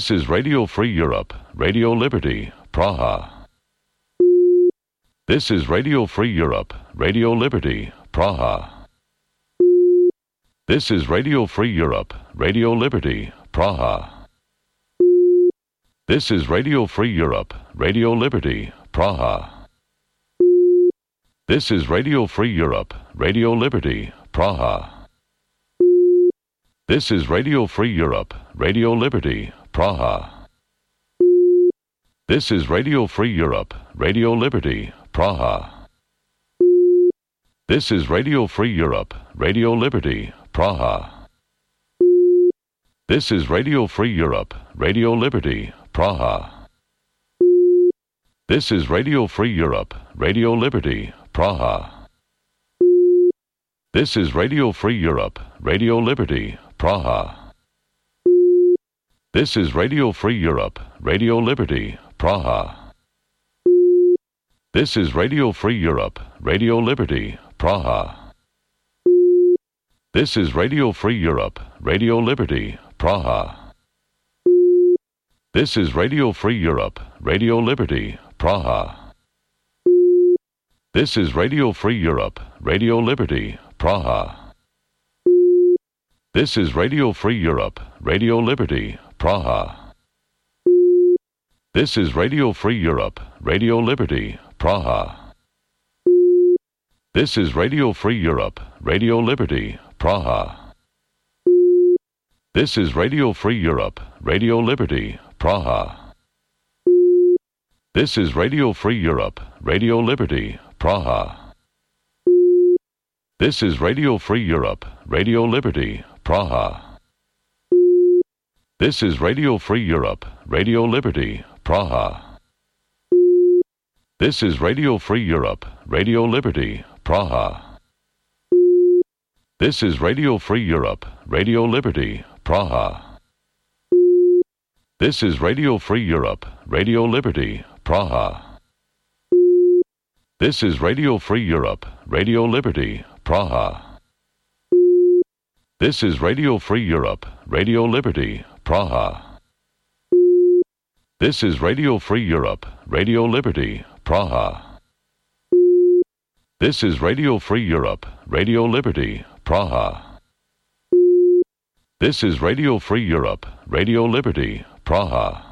This is Radio Free Europe, Radio Liberty, Praha. This is Radio Free Europe, Radio Liberty, Praha. This is Radio Free Europe, Radio Liberty, Praha. This is Radio Free Europe, Radio Liberty, Praha. This is Radio Free Europe, Radio Liberty, Praha. This is Radio Free Europe, Radio Liberty, Praha. This is Radio Free Europe, Radio Liberty, Praha. This is Radio Free Europe, Radio Liberty, Praha. This is Radio Free Europe, Radio Liberty, Praha. This is Radio Free Europe, Radio Liberty, Praha. This is Radio Free Europe, Radio Liberty, Praha. This is Radio Free Europe, Radio Liberty, Praha. This is Radio Free Europe, Radio Liberty, Praha. This is Radio Free Europe, Radio Liberty, Praha. This is Radio Free Europe, Radio Liberty, Praha. This is Radio Free Europe, Radio Liberty, Praha. This is Radio Free Europe, Radio Liberty, Praha. This is Radio Free Europe, Radio Liberty, Praha. This is Radio Free Europe, Radio Liberty, Praha. This is Radio Free Europe, Radio Liberty, Praha. This is Radio Free Europe, Radio Liberty, Praha. This is Radio Free Europe, Radio Liberty, Praha. This is Radio Free Europe, Radio Liberty, Praha. This is Radio Free Europe, Radio Liberty, Praha. This is Radio Free Europe, Radio Liberty, Praha. This is Radio Free Europe, Radio Liberty, Praha. This is Radio Free Europe, Radio Liberty, Praha. This is Radio Free Europe, Radio Liberty, Praha. This is Radio Free Europe, Radio Liberty, Praha. This is Radio Free Europe, Radio Liberty, Praha. This is Radio Free Europe, Radio Liberty, Praha.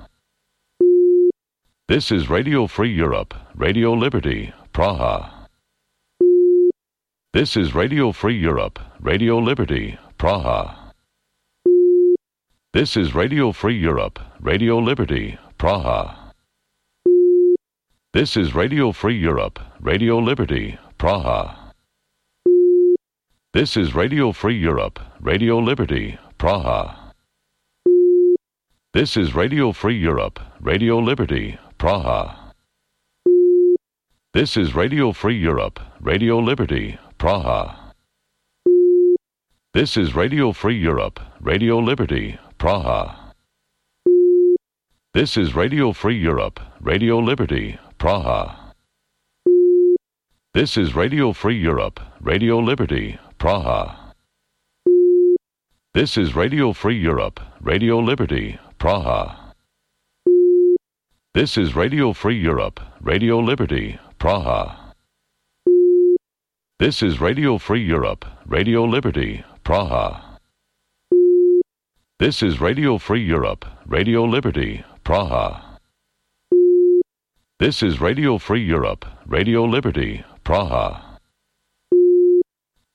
This is Radio Free Europe, Radio Liberty, Praha. This is Radio Free Europe, Radio Liberty, Praha. This is Radio Free Europe, Radio Liberty, Praha. This is Radio Free Europe, Radio Liberty, Praha. This is Radio Free Europe, Radio Liberty, Praha. This is Radio Free Europe, Radio Liberty, Praha. This is Radio Free Europe, Radio Liberty, Praha. This is Radio Free Europe, Radio Liberty, Praha. This is Radio Free Europe, Radio Liberty, Praha. This is Radio Free Europe, Radio Liberty, Praha. This is Radio Free Europe, Radio Liberty, Praha. This is Radio Free Europe, Radio Liberty, Praha. This is Radio Free Europe, Radio Liberty, Praha. This is Radio Free Europe, Radio Liberty, Praha. This is Radio Free Europe, Radio Liberty, Praha.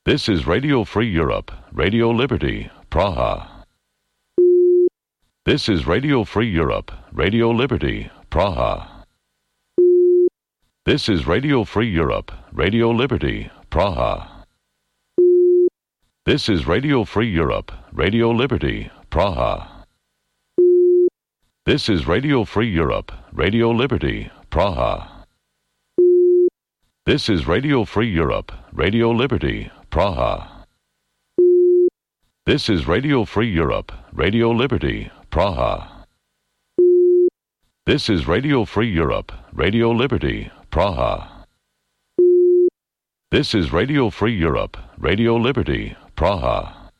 This is Radio Free Europe, Radio Liberty, Praha. This is Radio Free Europe, Radio Liberty, Praha. This is Radio Free Europe, Radio Liberty, Praha. This is Radio Free Europe, Radio Liberty, Praha. This is Radio Free Europe, Radio Liberty, Praha. This is Radio Free Europe, Radio Liberty, Praha. This is Radio Free Europe, Radio Liberty, Praha. This is Radio Free Europe, Radio Liberty, Praha. This is Radio Free Europe, Radio Liberty, Praha.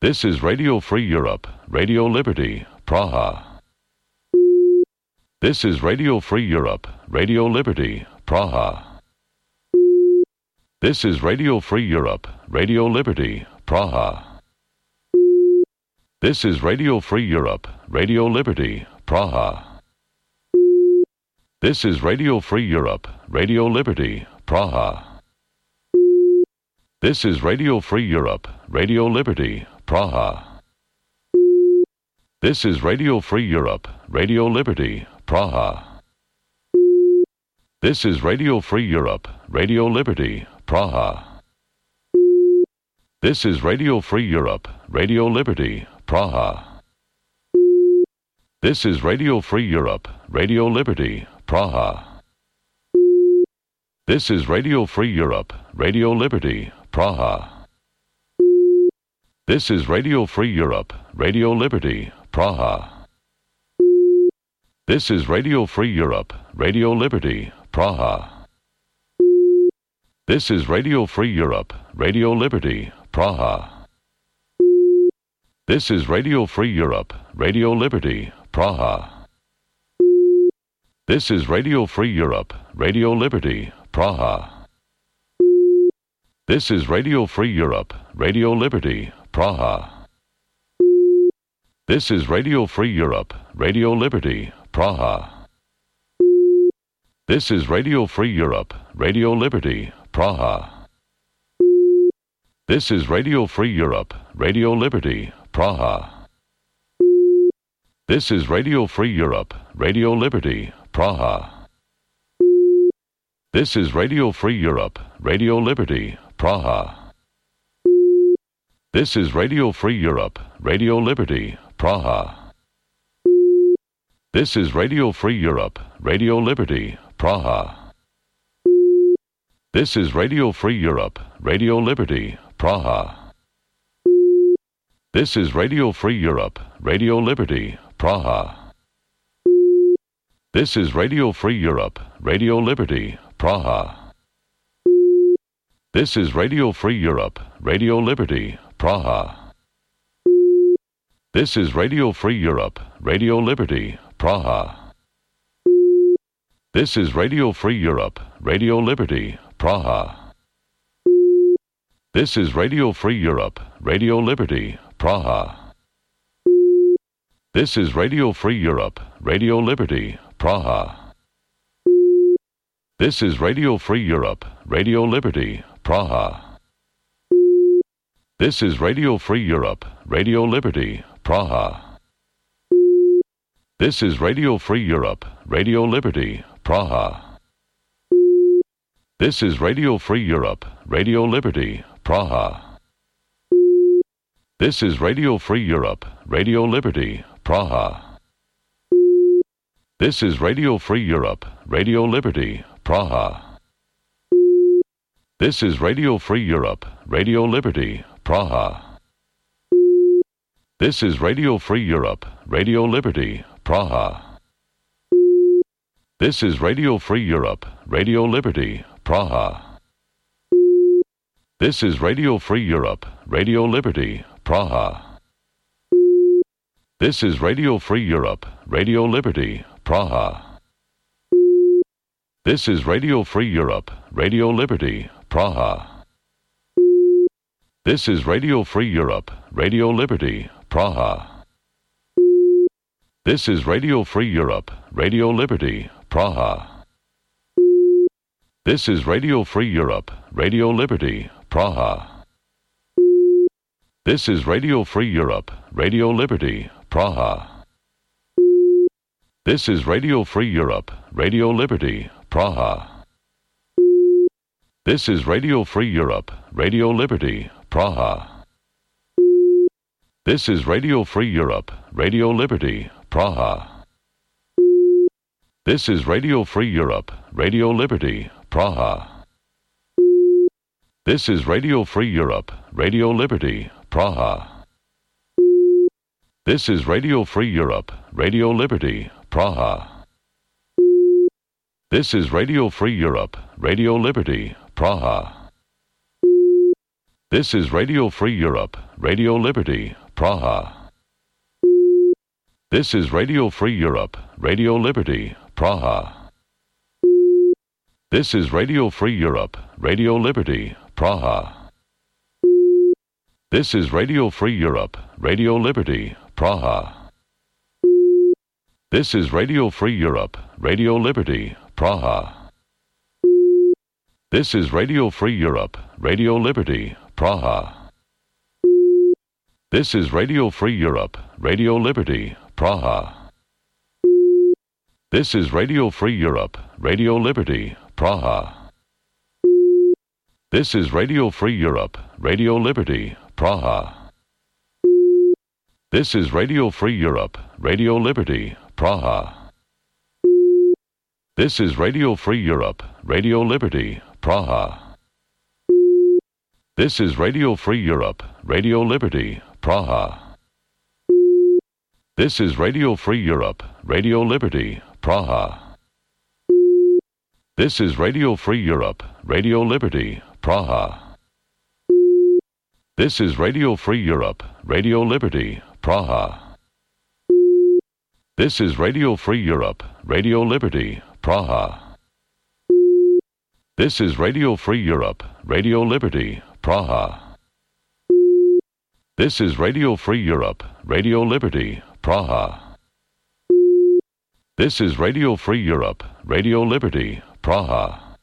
This is Radio Free Europe, Radio Liberty, Praha. This is Radio Free Europe, Radio Liberty, Praha. This is Radio Free Europe, Radio Liberty, Praha. This is Radio Free Europe, Radio Liberty, Praha. This is Radio Free Europe, Radio Liberty, Praha. This is Radio Free Europe, Radio Liberty, Praha. This is Radio Free Europe, Radio Liberty, Praha. This is Radio Free Europe, Radio Liberty, Praha. This is Radio Free Europe, Radio Liberty, Praha. This is Radio Free Europe, Radio Liberty, Praha. This is Radio Free Europe, Radio Liberty, Praha. This is Radio Free Europe, Radio Liberty, Praha. This is Radio Free Europe, Radio Liberty, Praha. This is Radio Free Europe, Radio Liberty, Praha. This is Radio Free Europe, Radio Liberty, Praha. This is Radio Free Europe, Radio Liberty, Praha. This is Radio Free Europe, Radio Liberty, Praha. This is Radio Free Europe, Radio Liberty, Praha. This is Radio Free Europe, Radio Liberty, Praha. This is Radio Free Europe, Radio Liberty, Praha. This is Radio Free Europe, Radio Liberty, Praha. This is Radio Free Europe, Radio Liberty, Praha. This is Radio Free Europe, Radio Liberty, Praha. This is Radio Free Europe, Radio Liberty, Praha. This is Radio Free Europe, Radio Liberty, Praha. This is Radio Free Europe, Radio Liberty, Praha. This is Radio Free Europe, Radio Liberty, Praha. This is Radio Free Europe, Radio Liberty, Praha. This is Radio Free Europe, Radio Liberty, Praha. This is Radio Free Europe, Radio Liberty, Praha. This is Radio Free Europe, Radio Liberty, Praha. This is Radio Free Europe, Radio Liberty, Praha. This is Radio Free Europe, Radio Liberty, Praha. This is Radio Free Europe, Radio Liberty, Praha. This is Radio Free Europe, Radio Liberty, Praha. This is Radio Free Europe, Radio Liberty, Praha. This is Radio Free Europe, Radio Liberty, Praha. This is Radio Free Europe, Radio Liberty, Praha. This is Radio Free Europe, Radio Liberty, Praha. This is Radio Free Europe, Radio Liberty, Praha. This is Radio Free Europe, Radio Liberty, Praha. This is Radio Free Europe, Radio Liberty, Praha. This is Radio Free Europe, Radio Liberty, Praha. This is Radio Free Europe, Radio Liberty, Praha. This is Radio Free Europe, Radio Liberty, Praha. This is Radio Free Europe, Radio Liberty, Praha. This is Radio Free Europe, Radio Liberty, Praha. This is Radio Free Europe, Radio Liberty, Praha. This is Radio Free Europe, Radio Liberty, Praha. This is Radio Free Europe, Radio Liberty, Praha. This is Radio Free Europe, Radio Liberty, Praha. This is Radio Free Europe, Radio Liberty, Praha. This is Radio Free Europe, Radio Liberty, Praha. This is Radio Free Europe, Radio Liberty, Praha. This is Radio Free Europe, Radio Liberty, Praha. This is Radio Free Europe, Radio Liberty, Praha. This is Radio Free Europe, Radio Liberty, Praha. This is Radio Free Europe, Radio Liberty, Praha. This is Radio Free Europe, Radio Liberty, Praha. This is Radio Free Europe, Radio Liberty, Praha. This is Radio Free Europe, Radio Liberty, Praha. This is Radio Free Europe, Radio Liberty, Praha. This is Radio Free Europe, Radio Liberty, Praha. This is Radio Free Europe, Radio Liberty, Praha. This is Radio Free Europe, Radio Liberty, Praha. This is Radio Free Europe, Radio Liberty, Praha. This is Radio Free Europe, Radio Liberty, Praha. This is Radio Free Europe, Radio Liberty, Praha. This is Radio Free Europe, Radio Liberty, Praha. This is Radio Free Europe, Radio Liberty, Praha. This is Radio Free Europe, Radio Liberty, Praha. This is Radio Free Europe, Radio Liberty, Praha. This is Radio Free Europe, Radio Liberty, Praha. This is Radio Free Europe, Radio Liberty, Praha.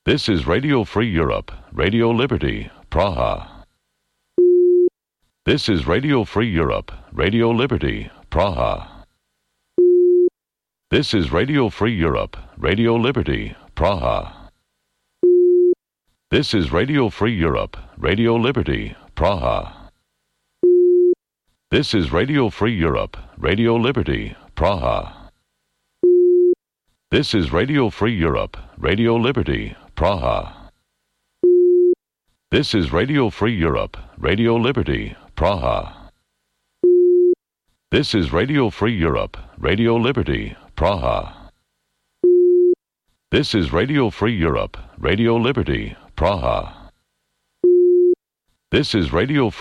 This is Radio Free Europe, Radio Liberty, Praha. This is Radio Free Europe, Radio Liberty, Praha. This is Radio Free Europe, Radio Liberty, Praha. This is Radio Free Europe, Radio Liberty, Praha. This is Radio Free Europe, Radio Liberty, Praha. This is Radio Free Europe, Radio Liberty, Praha. This is Radio Free Europe, Radio Liberty, Praha. This is Radio Free Europe, Radio Liberty, Praha. This is Radio Free Europe, Radio Liberty, Praha. This is Radio Free